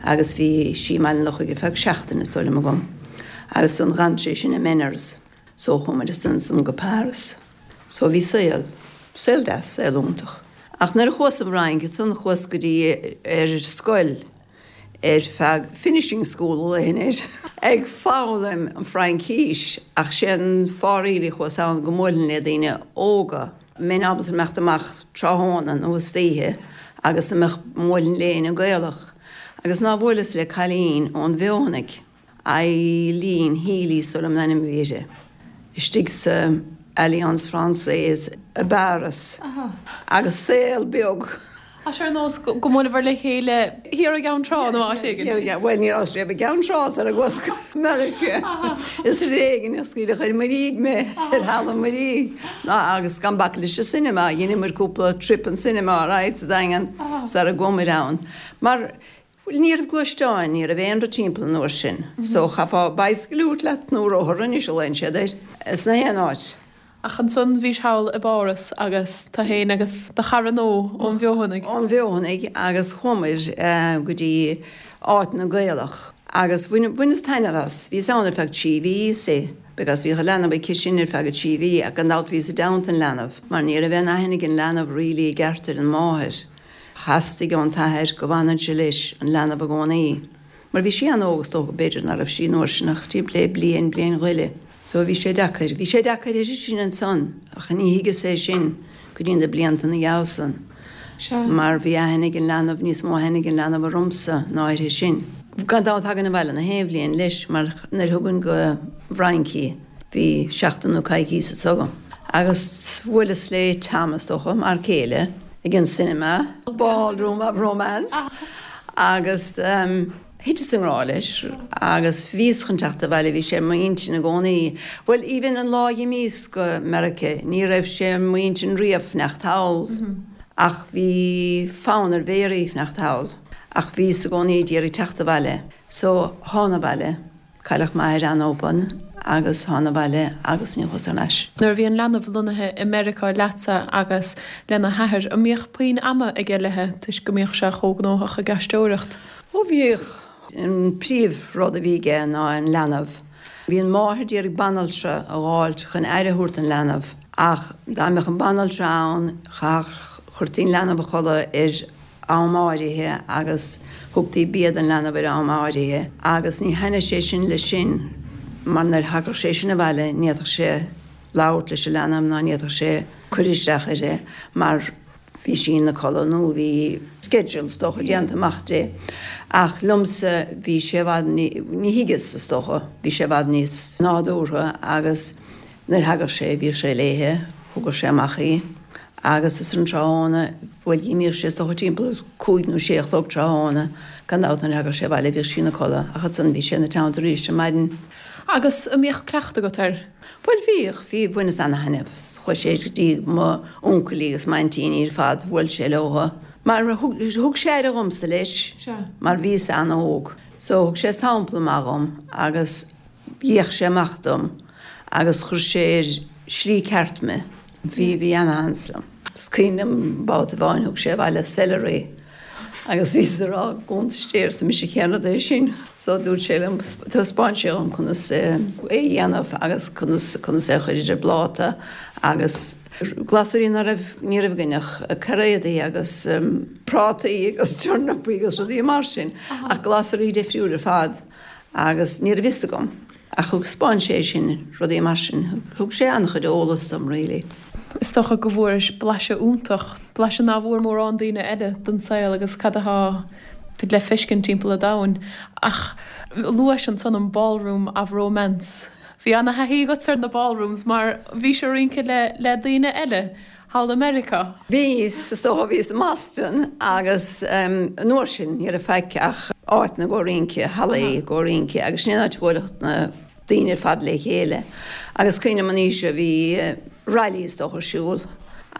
agus bhí sí i mBaile an Lochaigh ar feadh seachtaine is dóigh liom agam agus ansan dh'fhan sé sin i Ménars so chuaigh muid ansan go Paris. So bhí saol, saol deas, saol iontach. Ach nuair a chuas an Fhrainc ansan chuas go dtí ar scoil ar feadh finishing school a ghlaofainn air, ag foghlaim an Fraincís ach sé an fáth really a chuas ann go mbuailfinn le daoine óga, mbeinn ábalta imeacht amach tráthnóna nó istoíche agus a mbeadh, mbuailfinn le éinne Gaelach agus ná bhuaileas le cailín ón bhFeothanaigh. Eileen Healy is dóigh liom an ainm a bhí uirthi, istigh sa Alliance Française i bPáras agus saol beag. Tá sé ar nós go mbuaileabhair le chéile thiar i gCeann Trá nó áit éigin. Bhuel ní rabhas riamh i gCeann Trá sara gcuas go Meiriceá. Is ar éigean a scaoileadh ar muirígh mé ar thalamh muirígh. Ná agus gan bac leis an cinema, dheineamair cúpla trip an cinema, right, sa Daingean sara gcuamair ann. Mar Bhuel, ní raibh gluaisteáin, ní raibh aon rud timpeall an uair sin, so chaithfeá bicycle a thabhairt leat nó rothar anois a ghlaonn siad air, sna haon áit. Ach ansan bhís thall i bPáras agus tu fhéin agus do chara nua ón bhFeothanaigh. Ón bhFeothanaigh agus chuamair go dtí áit na Gaelach agus bhaineas taitneamh as. Bhíos ann ar feadh trí mhí, see, because bhíodh an leanbh aici sin ar feadh trí mhí ach gan dabht bhíos i dteannta an leanbh mar ní raibh aon aithne ag an leanbh really i gceart ar an máthair. Theastaigh ón t-athair go bhfanfainnse leis an leanbh i gcónaí, mar bhí sí an-óg is dócha, b'fhéidir ná raibh sí an uair sin ach timpeall le bliain, bliain go leith. So bhí sé deacair. Bhí sé deacair uirthi sin ansan ach ní thuigeas é sin go dtí na blianta 'na dhiaidh san. Sea. Mar bhí aithne ag an leanbh, níos mó aithne ag an leanbh ormsa ná uirthi sin. Gan dabht thagainn abhaile na haon bhliain leis mar nuair a thugainn go bhFrainc í, Bhí seachtain nó coicíos anso agam agus bhuaileas le Tom, is dócha, m'fhear céile, ag an cinema, Ballroom of Romance, agus thiteas i ngrá leis agus bhíos chun teacht abhaile, bhí sé ar m'intinn i gcónaí. Bhuel, even an lá a dh'imíos go Meirice, ní raibh sé ar m'intinn riamh fanacht thall, ach bhí fonn ar Mhéaraí fanacht thall, ach bhíos i gcónaí d'iarraidh teacht abhaile. So, thána abhaile. Cailleadh m'athair an-oban agus thána abhaile agus ní chuas thar n-ais. Nuair a bhí an leanbh lonnaithe i Meiriceá leatsa agus lena hathair, an mbíodh puinn ama aige léi toisc go mbíodh sé chomh gnóthach ag aisteoireacht? Ó bhíodh. An príomh rud a bhí aige ná an leanbh. Bhí an mháthair d'iarraidh banaltra a dh'fháilt chun aire a thabhairt don leanbh ach dá mbeadh an banaltra ann chaithfeadh, chuirtí an leanbh a chodladh ar am áirithe agus thugtaí bia don leanbh ar am áirithe agus ní thaitneodh sé sin leis sin mar nuair a thagadh sé sin abhaile ní fhéadfadh sé labhairt leis an leanbh ná ní fhéadfadh sé cur isteach uirthi mar bhí sí ina codladh nó bhí schedule is dócha déanta amach di. Ach liomsa bhí sé i bhfad ní thuigeas is dócha, bhí sé i bhfad níos nádúrtha agus nuair a thagadh sé bhíodh sé léithe, thugadh sé amach í. Agus is an tráthnóna, bhuel dh'imíodh sé is dócha timpeall cúig nó sé a chlog tráthnóna, gan dabht nuair a thagadh sé abhaile bhíodh sí ina codladh ach ansan bhí sé ina teannta arís ar maidin. Agus an mbíodh cleachtadh agat air? Bhuel bhíodh, bhí, bhaineas ana-thaitneamh. Chuaigh sé go dtí mo uncailí agus m'aintíní ar fad, bhuail sé leo. Mar thug, thug sé aire dhomsa leis, mar bhíos ana-óg. So thug sé sampla maith dhom agus d'fhéach sé amach dom agus chuir sé ar slí ceart mé. Bhí, bhí ana-sheans liom. Is cuimhin liom babhta amháin thug sé abhaile celery agus bhíos ag rá gúntastéir arsa mise cén rud é sin. So dúirt sé liom, thaispeáin sé dhom conas é a dhéanamh agus conas, conas é a chur ar an bpláta agus glasraí ná raibh, ní raibh againn ach cairéadaí agus prátaí agus turnapaí agus rudaí mar sin ach glasraí difriúil ar fad agus ní raibh fhios agam. Ach thaispeáin sé sin, rudaí mar sin, thug sé an-chuid eolas dom really. Is dócha go bhfuairis blaiseadh iontach, blaiseadh ná bhfuair mórán daoine eile den saol agus cad atá le feiscint timpeall an domhain. Ach luais ansan an Ballroom of Romance. Bhí ana-thaithí agat ar na ballrooms mar bhís ag rince le le daoine eile thall i Meiriceá. Bhíos, is dócha, bhíos i mBoston agus an uair sin ní raibh faic ach áiteanna i gcomhair rince, hallaí i gcomhair rince agus sin an áit a bhuailfeadh na daoine ar fad le chéile. Agus cuimhním an oíche bhí rally is dócha ar siúl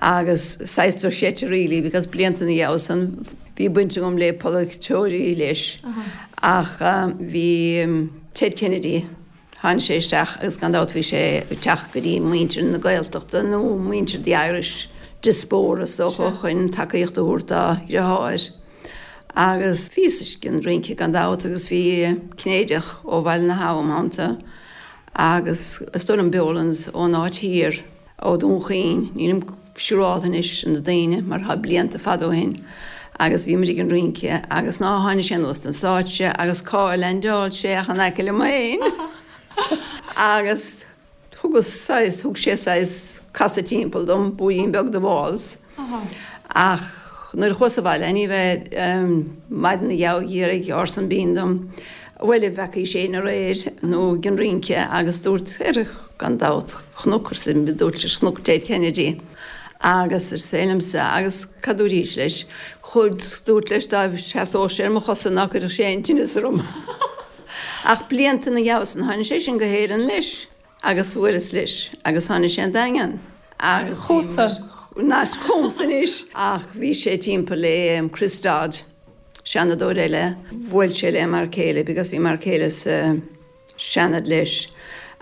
agus saghas dochreidte really because blianta ina dhiaidh san bhí baint agam le polaiteoirí leis ach bhí Ted Kennedy, Tháinig sé isteach agus gan dabht bhí sé ag teacht go dtí muintir na Gaeltachta nó muintir the Irish diaspora is dócha chun tacaíocht a thabhairt dá dheartháir. Agus bhíos ag an rince gan dabht agus bhí Cinnéideach ó Bhaile na hAbha im theannta agus is dóigh liom Bolands ón áit thiar ó Dún Chaoin, nílim siúráltha anois ar na daoine mar tá blianta fada ó shin agus bhí muid ag an rince agus ná tháinig sé anuas den stáitse agus cá leaindeáil sé ach in aice liom féin agus thugas saghas, thug sé saghas casadh timpeall dom, buaidhín beag de waltz ach nuair a chuas abhaile ní bheith maidin a gheabhadh dh'iarraidh Orson Bean dom bhuel an bhfeacaís éinne aréir nó ag an rince agus dúirt ar gan dabht chonac arsa dúirt leis chonac Ted Kennedy agus arsa é liomsa agus cad dúraís leis chuir dúirt leis dá seasódh sé ar mo chosa ná cuirfeadh sé aon tinneas orm ach blianta ina dhiaidh san tháinig sé sin go hÉirinn leis agus bhuaileas leis agus tháinig sé an Daingean agus Chugatsa? Nach chugamsa anois ach bhí sé timpeall le Chris Dodd Seanadóir eile, bhuail sé le m'fhear céile because bhí m'fhear céile sa Seanad leis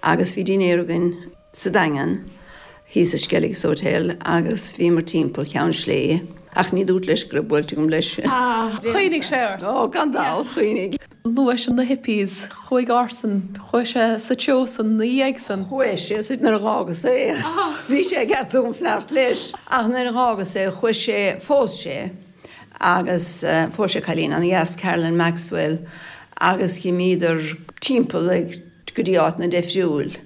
agus bhí dinnéar againn sa Daingean thíos i Skelligs Hotel agus bhíomar timpeall Cheann Sléibhe ach ní dúirt leis go raibh buailte agam leis. Chuimhnigh sé ort? Ó, gan dabht, chuimhnigh. Luais na hippies, chuaigh Orson, chuaigh sé sa treo san ina dhiaidh san. Chuaigh sé sa, nuair a dh'fhágas é, bhí sé ag ceart dom fanacht leis, ach nuair a dh'fhágas é chuaigh sé, phós sé. Agus phós sé cailín ana-dheas, Carolyn Maxwell, agus dh'imíodar timpeall ag go dtí áiteanna deifriúil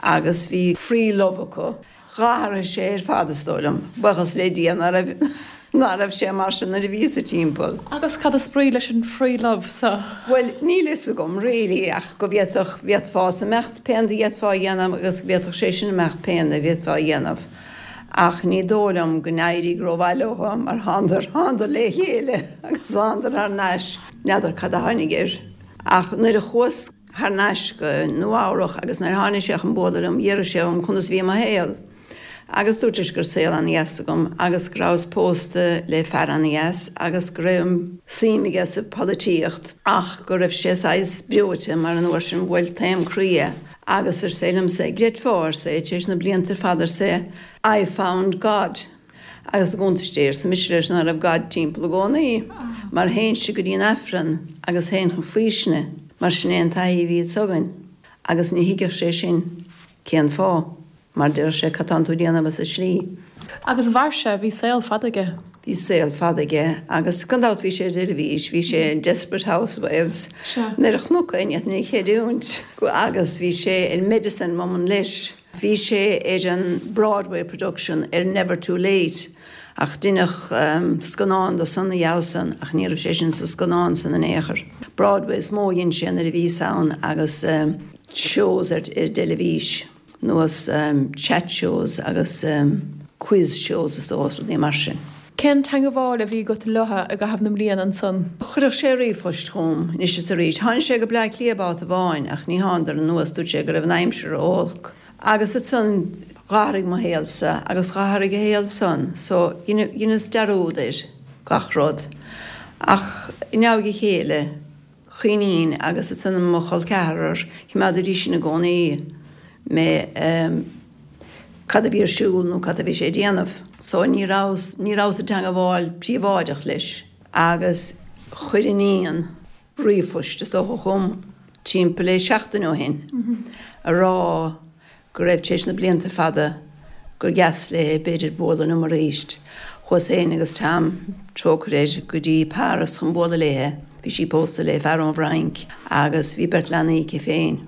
agus bhí free love acu. Dh'athraigh sé ar fad is dóigh liom, buíochas le Dia ná raibh ná raibh sé mar sin nuair a bhíos-sa timpeall. Agus cad is brí leis an free love so? Bhuel, níl fhios agam really ach go bhféadfadh, bhféadfása imeacht pé rud a d'fhéadfá a dhéanamh agus go bhféadfadh sé sin imeacht pé rud a bhféadfá a dhéanamh. Ach ní dóigh liom go n-éirigh rómhaith leo mar thánadar, thánadar le chéile agus thánadar thar n-ais. N'fheadar cad a tháinig air. Ach nuair a chuas thar n-ais go Nua Eabhrach agus nuair a tháinig sé chun bualadh liom, d'fhiafraigh sé dhom conas bhí mo shaol. Agus dúirt leis go raibh saol an-dheas agam agus go rabhas pósta le fear an-dheas agus go raibh suim aige sa pholaitíocht ach go raibh sé saghas breoite mar an uair sin bhuail taom croí é. Agus arsa é liomsa, gcreidfeá, arsa é, tar éis na blianta ar fad, arsa é, I found God. Agus i gcuntas Dé, arsa mise leis, ná raibh God timpeall i gcónaí, mar théinnse go dtí an Aifreann agus théinn chun faoistine, mar sin é an taithí a bhí againn. Agus ní thuigfeadh sé sin cén fáth. Mar deir sé, cad tánn tú a dhéanamh as an slí? Agus mhair sé, bhí saol fada aige. Bhí saol fada aige agus gan dabht bhí sé ar teilifís, bhí sé in Desperate Housewives nuair a chonac é ní fhéadfainn é a chreidiúint agus bhí sé ar Medicine Woman leis. Bhí sé ar an Broadway production ar Never Too Late ach deineadh scannán de san ina dhiaidh san ach ní raibh sé sin sa scannán san in aon chor. Broadway is mó a dhein sé nuair a bhíos ann agus shows ar ar dteilifís. nós chat shows agus quiz shows is dócha, rudaí mar sin. Cén teangabháil a bhí agat leo i gcaitheamh na mblian ansan? Chuireadh sé ríomhphost chugam anois is arís. Tháinig sé go Bleá Cliath babhta amháin ach ní thánadar anuas, dúirt sé go raibh an aimsir ró-olc. Agus ansan dh'athraigh mo shaolsa agus dh'athraigh a shaol-san so dheineas dearúd ar gach rud. Ach i ndiaidh a chéile, chuimhnínn agus ansan mo chol ceathrar, choimeádaidís sin i gcónaí mé cad a bhí ar siúl nó cad a bhí sé ag déanamh. So ní rabhas, ní rabhas i dteangabháil príobháideach leis agus chuir iníon ríomhphost is dócha chugam timpeall le seachtain ó shin a rá go raibh tar éis na blianta fada gur dheas léi b'fhéidir bualadh liom arís. Chuas féin agus Tom, trócaire air, go dtí Páras chun bualadh léi. Bhí sí pósta le fear ón bhFrainc agus bhí beirt leanaí aici féin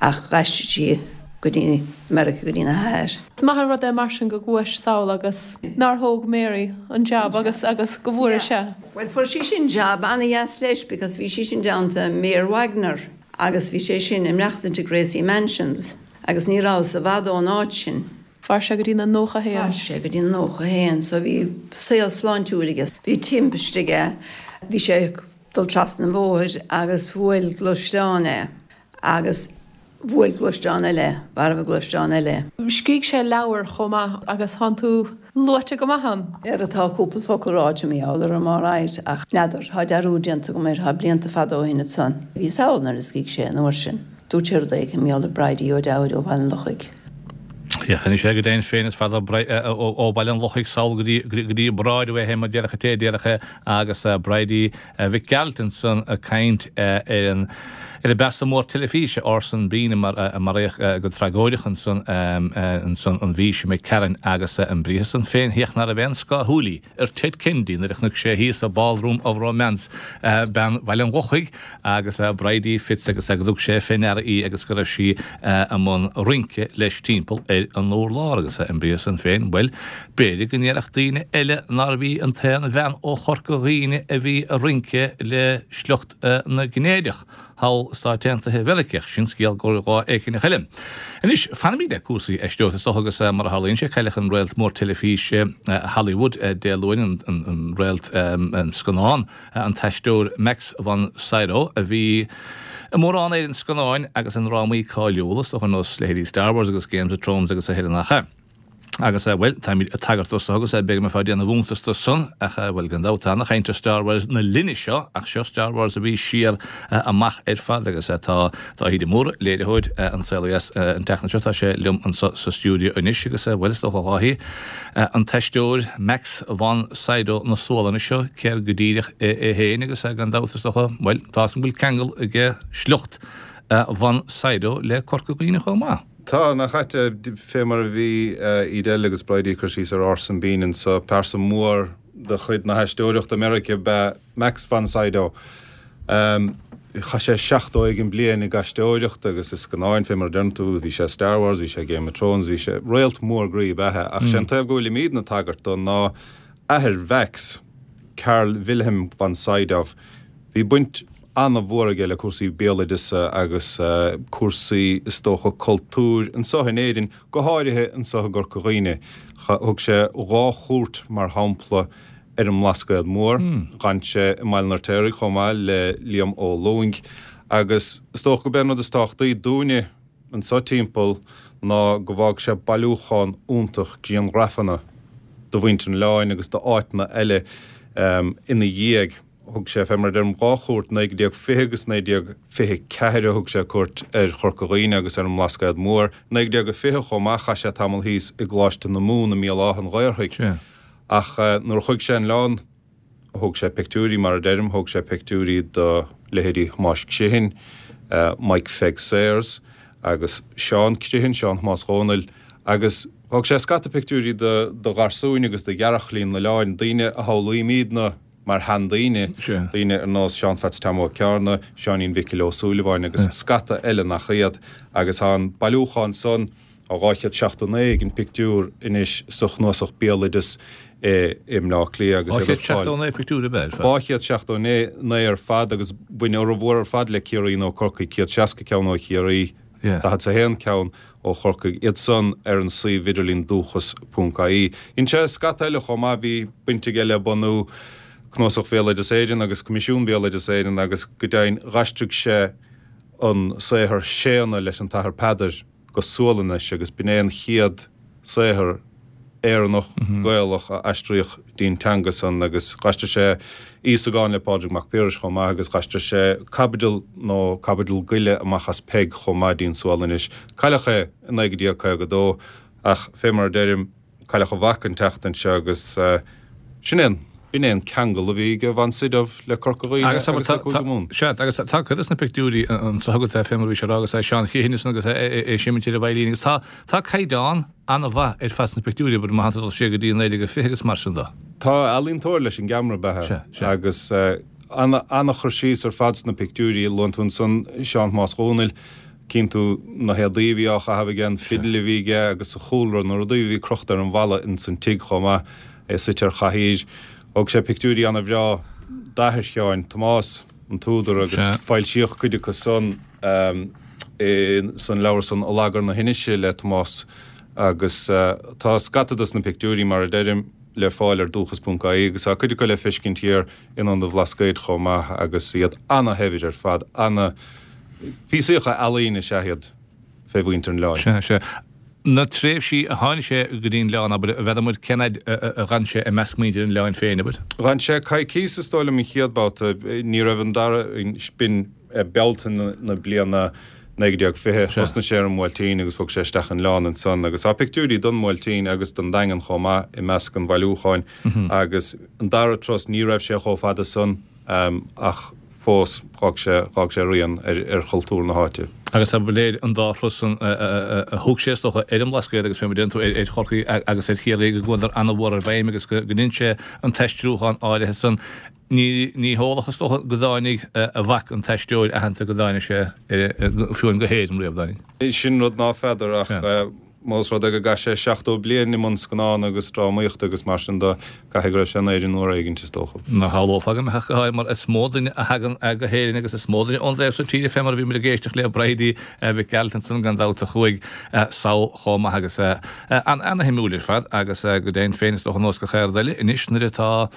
ach dh'aistrigh sí go dtí Meiriceá go dtína hathair. Is maith an rud é mar sin go gcuais sall agus nár thóg Mary an jab agus agus go bhfuair sé. Bhuel fuair sí sin jab ana-dheas leis because bhí sí sin i dteannta Mayor Wagner agus bhí sé sin ag maireachtaint i Gracie Mansions agus ní rabhas i bhfad ón áit sin. Mhair sé go dtí na nócha a haon. Mhair sé go dtí na nócha a haon so bhí saol sláintiúil aige. Bhí timpiste aige, bhí sé ag dul trasna an bhóthair agus bhuail gluaisteán é agus bhuail gluaisteán eile, mharbh gluaisteán eile. Scrígh sé leabhar chomh maith agus thánn tú luaite go maith ann. Ar tá cúpla focal ráite mar gheall orm alright ach n'fheadar, tá dearúd déanta agam air, tá blianta fada ó shin ansan. Bhíos thall nuair a scrígh sé an uair sin. Dúirt sé rud éigin mar gheall ar Bridie O'Dowd ó Bhaile an Lochaigh. Anois é go deimhin féin is fada ó Bhaile an Lochaigh sall go dtí Broadway é mar déarfadh an té a déarfadh é agus Bridie Mhic Gearailt ansan ag caint ar an ar an bpearsa mór teilifíse Orson Bean a maraíodh go tragóideach ansan ansan an mhí seo imigh tharainn agus an briathar san féin féach ná raibh aon scáth shúilí ar Ted Kennedy nuair a chonaic sé thíos sa Ballroom of Romance bean Bhaile an Lochaigh agus Bridie Fitz agus go dtug sé fé ndeara í agus go raibh sí i mbun rince leis timpeall ar an urlár agus an briathar san féin, bhuel, b'fhéidir go ndéarfadh daoine eile nárbh í an t-aon bhean ó Chorca Dhuibhne a bhí ag rince le sliocht na gCinnéideach thall i Stáit Aontaithe Mheiriceá, sin scéal go lá éicint eile. Anois, fanfaimid le cúrsaí aisteoireachta is dócha agus mar a tharlaíonn sé, cailleadh an réalt mór teilifíse Hollywood Dé Luain, an réalt scannán, an t-aisteoir Max von Sydow a bhí i mórán ar an scannáin agus i ndrámaí cáiliúla, is dócha ar nós leithéidí Star Wars agus Games of Thrones agus a thuilleadh nach ea. Agus, bhuel, táimid ag tagairt dó so agus b'fhéidir go mbeifeá ag déanamh iontais de san, ach, bhuel, gan dabht tá ana-chaint ar Star Wars na linne seo, ach seo Star Wars a bhí siar amach ar fad agus tá Dáithí de Mórdha, léiritheoir An Saol Ó Dheas an tseachtain seo, tá sé liom anso sa stiúideo anois agus, bhuel, is dócha, a Dháithí, an t-aisteoir Max von Sydow na Sualainne seo, céard go díreach é féin agus gan dabht is dócha, bhuel, tá 'fhios agam go bhfuil ceangal aige sliocht von Sydow le Corca Dhuibhne chomh maith. Tá, nach ait, fé mar a bhí Edel agus Bridie ag cur síos ar Orson Bean anso, pearsa mór de chuid na haisteoireachta i Meiriceá ab ea Max von Sydow. Chaith sé seachtó éigin bliain ag aisteoireacht agus i scannáin, fé mar a deireann tú, bhí sé i Star Wars, bhí sé i Game of Thrones, bhí sé, réalt mór groí ab ea é. Ach sé an taobh go bhfuilimídne ag tagairt dó ná athair Mhax, Carl Wilhelm von Sydow. Bhí baint an-mhór aige le cúrsaí béaloideasa agus cúrsaí, is dócha, cultúir anso in Éirinn, go háirithe anso i gCorca Dhuibhne. Thug sé dhá chuairt, mar shampla, ar an mBlascaod Mór. D'fhan sé i mBaile an Fheirtéaraigh chomh maith le Liam Ó Lúing agus is dócha gurb é an rud is tábhachtaí dúinne anso timpeall ná go bhfág sé bailiúchán iontach grianghrafanna do mhuintir an oileáin agus d'áiteanna eile ina dhiaidh. Thug sé, fé mar a deirim, dhá chuairt, naoi déag fiche agus naoi déag fiche ceathair a thug sé cuairt ar Chorca Dhuibhne agus ar an mBlascaod Mór. Naoi déag fiche chomh maith chaith sé tamall thíos i gColáiste na Mumhan i mBéal Átha an Ghaorthaidh. Ach nuair a chuaigh sé an oileán, Thóg sé pictiúirí, mar a deirim, thóg sé pictiúirí do leithéidí Thomáis Criomhthain, Mike Pheig Sayers agus Seán Criomhthain, Seán Thomáis Dhónaill, agus thóg sé scata pictiúirí do do gharsúin agus do ghearrchailí an oileáin, daoine a shamhlaímidne mar sheandaoine, daoine ar nós Seán Pheats Tom Ó Cearna, Seáinín Mhicil Ó Súilleabháin agus scata eile nach iad. Agus tá an bailiúchán san. Tá dhá chéad seachtó naoi den pictiúr anois sa chnuasach béaloideas i mBleá Cliath agus iad ar fáil. Dhá chéad seachtó naoi pictiúr ab ea ar fad? Dhá chéad seachtó naoi ar fad agus bhain a fhormhór ar fad le Ciarraí nó Corcaigh, céad seasca ceann ó Chiarraí, daichead 's a haon ceann ó Chorcaigh, iad san ar an suíomh idirlín dúchas ponc ie. Dhein sé scata eile chomh maith, bhí baint aige le bunú Cnuasach Bhéaloideas Éireann agus Coimisiún Béaloideas Éireann agus go deimhin dh'aistrigh sé an saothar Séanna leis an tAthair Peadar go Sualainnis agus b'in é an chéad saothar Éireannach, Gaelach a aistríodh dtí'n teanga san agus dh'aistrigh sé Íosagán le Pádraig Mac Piarais chomh maith agus dh'aistrigh sé caibidil nó caibidil go leith amach as Peig chomh maith dtí'n Sualainnis. Cailleadh é i naoi déag caoga dó ach fé mar a deirim, Cailleadh a mhac an tseachtain seo agus sin é an, b'in é an ceangal a bhí ag von Sydow le Corca Dhuibhne agus le Cúige Mumhan. Sea, agus tá cuid de na pictiúirí anso agat fé mar a bhí sé a rá agus é Seán Criomhthain ansan agus é seimitéir an Mheidhlínigh agus tá, tá caighdeán an-mhaith ar fad sna pictiúirí, abair, má thánn tú ag dul siar go dtí naoi déag a fiche agus mar sin de. Tá ealaíontóir leis an gceamara ab ea Sea, sea. agus ana-chur síos ar fad sna pictiúirí, luann tú ansan Seán Thomáis Dhónaill, Cíonn tú na héadaí a bhí á chaitheamh aige, an fidil a bhí aige agus sa chúlra na rudaí a bhí crochta ar an bhalla ins an tigh chomh maith, é suite ar chathaoir. Thóg sé pictiúirí ana-bhreá d'athair Sheáin, Tomás, an t-údar, agus foilsíodh cuid acu san san leabhar san Allagar na hInise le Tomás agus tá scata dos na pictiúirí, mar a deirim, le fáil ar dúchas ponc ie agus tá cuid acu le feiscint thiar in Ionad an Bhlascaoid chomh maith agus iad ana-shaibhir ar fad, ana. Píosaíocha ealaíne is ea iad fé mhuintir an oileáin. Sea, sea. Na tréimhsí a tháinig sé go dtí an oileán, abair, n'fheadar muid cén fhaid a dh'fhan sé i measc muintir an oileáin féin, abair? Dh'fhan sé coicíos is dóigh liom an chéad babhta. Ní raibh an dara, b'in Bealtaine na bliana naoi déag fiche. Thosnaigh sé ar an mBuailtín agus bhog sé isteach an oileán ansan agus tá pictiúirí don mBuailtín agus don Daingean chomh maith i measc an bhailiúcháin agus an dara turas ní raibh sé chomh fada san. Ach fós, dh'fhág sé, dh'fhág sé rian ar, ar chultúr na háite. Agus ba léir an dá thuras san a thug sé, is dócha, ar an mBlascaod agus fé mar a deireann tú, ar Chorcaigh agus ar Chiarraí go gcuadar ana-mhór i bhfeidhm agus go ndein sé an t-aistriúchán áirithe san. Ní, ní heolach, is dócha, go dtáinig a mhac, an t-aisteoir aitheanta, go dtáinig sé fiú amháin go hÉirinn riamh, dtáinig? Sin rud ná feadar ach. Más rud é go gcaith sé seachtó bliain i mbun scannán agus drámaíochta agus mar sin de, caithfidh go raibh sé in Éirinn uair éigint, is dócha. Ná shamhlófá go mbeadh, go háirithe mar is mó duine a thagann go hÉirinn agus is mó duine ón dtaobh so tíre fé mar a bhí muid ag éisteacht le Bridie Mhic Gearailt ansan gan dabht a chuaigh sall chomh maith agus an-shuimiúil ar fad agus go deimhin féin is dócha nós go cheard eile anois nuair atá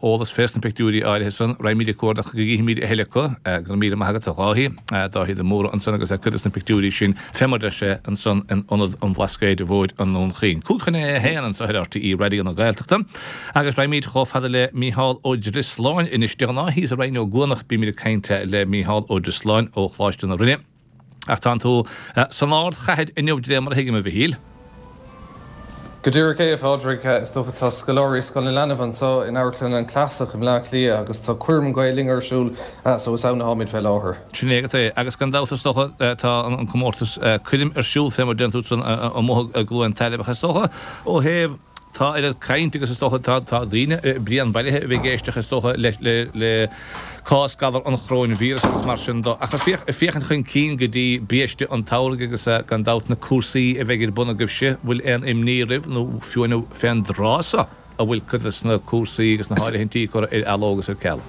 eolas fés na pictiúirí áirithe san. Raghaimid ag cuardach go gcífimid a thuilleadh acu. Go raibh míle maith agat, a Dháithí. Dáithí de Mórdha ansan agus cuid des na pictiúirí sin fé mar deir sé ansan in Ionad an Bhlascaoid Mhóir i nDún Chaoin. Cúig chun a haon anso ar RTÉ Raidió na Gaeltachta. Agus raghaimid chomh fada le Mícheál Ó Drisleáin anois. De ghnáth thíos i Rinn Ó gCuanach bímid ag caint le Mícheál Ó Drisleáin ó Choláiste na Rinne. Ach tánn tú san ardchathair inniu de réir mar a thuigim, a Mhichíl. Go díreach é, a Phádraig. Is dócha tá scoláirí Scoil na Leanbh anseo in Amharclann an Clasach i mBleá Cliath agus tá Coirm Gael Linn ar siúl so is ann atáimid fé láthair. Sin é agat é. Agus gan dabht is dócha tá an comórtas coirm ar siúl fé mar deireann tú san amuigh i gCluain Tairbh ach is dócha ó thaobh Tá oiread caint agus is dócha tá tá daoine bréan bailithe a bheith ag éisteacht is dócha le le le cás galar an choróinvíreas agus mar sin de. Ach ag féachaint chun cinn go dtí biaiste an tsamhraidh agus gan dabht na cúrsaí a bheidh ar bun agaibhse, bhfuil aon imní oraibh nó fiú amháin fén dtráth so a bhfuil cuid de na cúrsaí agus na háirithintí curtha ar athló agus ar ceal?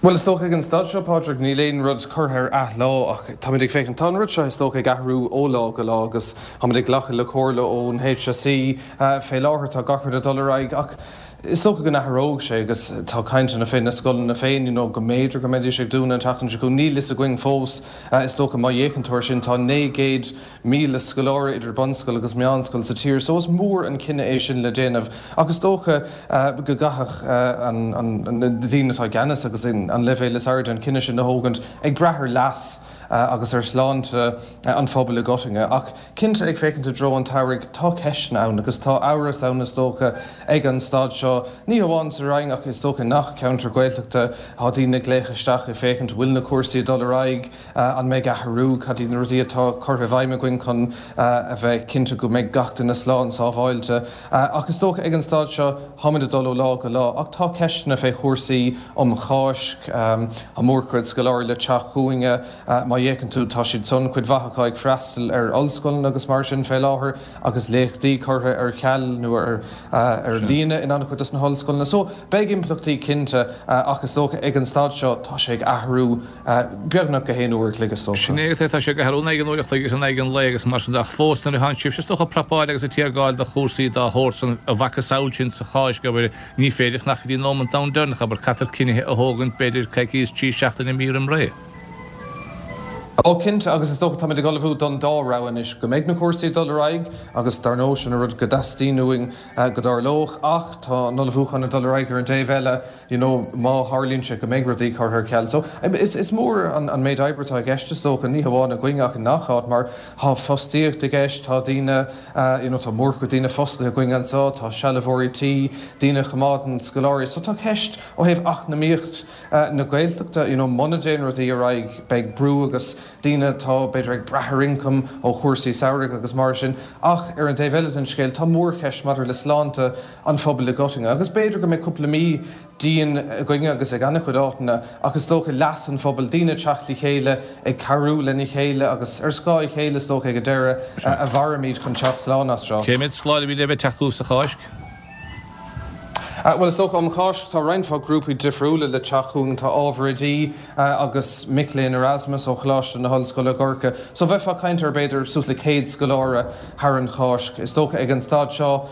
Bhuel, is dócha ag an staid seo, Pádraig, níl aon rud curtha ar athlá ach táimid ag féachaint, tá an rud seo is dócha ag athrú ó lá go lá agus táimid ag glacadh le comhairle ón HSE fé láthair, tá gach rud ag dul ar aghaidh ach is dócha go n-athróidh sé agus tá cainteanna fé na scoileanna féin, you know, go mb'fhéidir go mbeidís ag dúnadh an tseachtain seo chugainn, níl fhios againn fós. Is dócha má fhéachann tú air sin tá naoi gcéad míle scoláire idir bunscoil agus meánscoil sa tír so is mór an cinneadh é sin le déanamh ach is dócha go gcaithfeadh na daoine atá i gceannas agus an leibhéal is airde an cinneadh sin a thógaint ag brath ar leas agus ar shláinte an phobail i gcoitinne. Ach cinnte ag féachaint i dtreo an tsamhraidh tá ceisteanna ann agus tá amhras ann is dócha ag an staid seo, ní hamháin sa Rinn ach is dócha i ngach ceantar Gaeltachta tá daoine ag glaoch isteach ag féachaint bhfuil na cúrsaí ag dul ar aghaidh, An mbeidh athrú? Cad iad na rudaí atá curtha i bhfeidhm againn chun a bheith cinnte go mbeidh gach duine slán sábháilte? Ach is dócha ag an staid seo, táimid ag dul ó lá go lá. Ach tá ceisteanna fé chúrsaí um Cháisc. Tá mórchuid scoláirí le teacht chugainne. Má fhéachann tú, tá siad san, cuid mhaith acu ag freastal ar ollscoileanna agus mar sin fé láthair agus léachtaí curtha ar ceal nó ar líne in an-chuid dos na hollscoileanna. So, beidh impleachtaí cinnte ach is dócha ag an staid seo, tá sé ag athrú. Beagnach gach aon uair a chloig is dócha. Sin é agus é, tá sé ag athrú in aghaidh an uair a chloig agus in aghaidh an lae agus mar sin de ach fós nuair atánn sibhse is dócha ag prapáil agus ag tiargáil do chúrsaí dá shórt san, a mhacasamhail sin sa Cháisc, abair, ní féidir ach nach go dtí an nóimint domhain deireanach, abair, caithfear cinnithe a thógaint b'fhéidir coicíos, trí seachtaine, mí roim ré. Ó cinnte, agus is dócha táimid ag ullmhú don dá rogha anois, go mbeidh na cúrsaí ag dul ar aghaidh agus dar ndóigh sin an rud go dteastaíonn uainn go dtarlódh ach tá an ullmhúchán ag dul ar aghaidh ar an dtaobh eile, you know má tharlaíonn sé go mbeidh rudaí curtha ar ceal. So is is mór an an méid oibre atá i gceist is dócha, ní hamháin againn ach i ngach áit mar tá fostaíocht i gceist, tá daoine you know tá mórchuid daoine fostaithe againn anseo, tá sealbhóirí tí, daoine a choimeádann scoláirí. So tá ceist ó thaobh eacnamaíocht na Gaeltachta, you know muna dtéann rudaí ar aghaidh beidh brú agus daoine atá b'fhéidir ag brath ar ioncam ó chúrsaí samhraidh agus mar sin ach ar an dtaobh eile den scéal tá mórcheist maidir le sláinte an phobail i gcoitinne agus b'fhéidir go mbeidh cúpla mí dian againne agus ag an-chuid áiteanna ach is dócha leas an phobail, daoine ag teacht le chéile, ag cabhrú lena chéile agus ar scáth a chéile is dócha ag an deireadh a mhairfimid chun teacht slán as seo. Cé mhéad scoláire a bhí le bheith ag teacht chugaibh sa Cháisc? Bhuel is dócha um Cháisc tá roinnt mhaith grúpaí difriúla le teacht chugainn, tá ábhar oidí agus mic léinn Erasmus ó Choláiste na hOllscoile Corcaigh so bheifeá ag caint ar b'fhéidir suas le céad scoláire thar an Cháisc. Is dócha ag an staid seo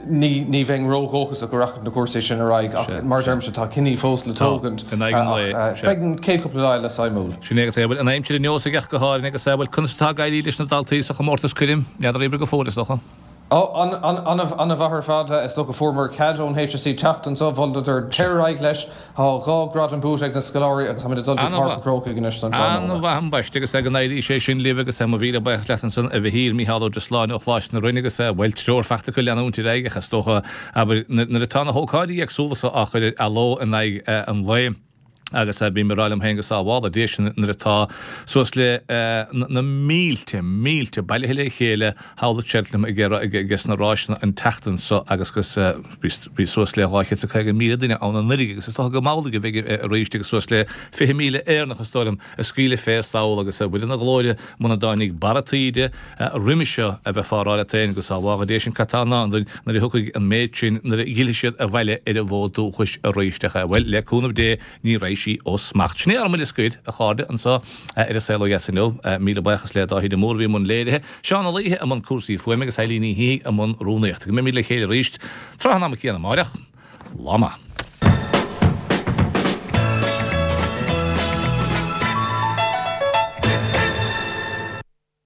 ní ní bheinn ródhóchasach go rachaidh na cúrsaí sin ar aghaidh ach mar a deirimse tá cinní fós le tógaint ach beidh an chéad cúpla lá eile suimiúil. Sin é agus é. Bhuel an aimsir inniu sa gceacht go háirithe agus bhuel conas atá ag éirí leis na daltaí sa chomórtas coirm? N'fheadar oibre go fóill is dócha. Ó, an-mhaith ar fad. Is dócha fuaireamar cead ón HSE teacht anseo. Mholadar téir ar aghaidh leis. Tá dhá ghradam buaite ag na scoláirí agus táimid ag dul go Páirc an Chrócaigh anois don tráthnóna. An-mhaith ambaiste agus go n-éirí sé sin libh agus mo mhíle buíochas leat ansan a Mhichíl, Mícheál Ó Drisleáin ó Choláiste na Rinne agus bhuel treoir fachta acu leanúint ar aghaidh ach is dócha abair nuair atá na hócáidí éagsúla so á chur ar athló in aghaidh an lae. Agus bím ag rá liom féin go sábhála Dia sinn nuair atá suas le na mílte, mílte bailithe le chéile thall i Cheltenham ag aige sna ráiseanna an tseachtain so agus agus bhí suas le dhá chéad is a caoga míle duine ann anuraidh agus is dócha go mb'amhlaidh a bheidh arís agus suas le fiche míle Éireannach is dóigh liom a scaoileadh fé sall agus Mhuire na Glóire muna dtáinig barra taoide roimhe seo a bheifeá ag rá leat féin go sábhála Dia sinn cad tá i ndán dúinn nuair a thiocfaidh an méid sin nuair a dh'fhillfidh siad abhaile ar an bhfód dúchais arís ach bhuel le cúnamh Dé ní raghaidh sí ó smacht. Sin é ár mbuille scoir, a chairde, anseo ar An Saol Ó Dheas inniu. Míle buíochas le Dáithí de Mór a bhí i mbun léirithe, Seán Ó Laoithe i mbun cúrsaí fuaime agus Eileen Ní Shíthigh i mbun rúnaíochta. Go mbeimid le chéile arís tráth an ama céanna amáireach. Lá maith.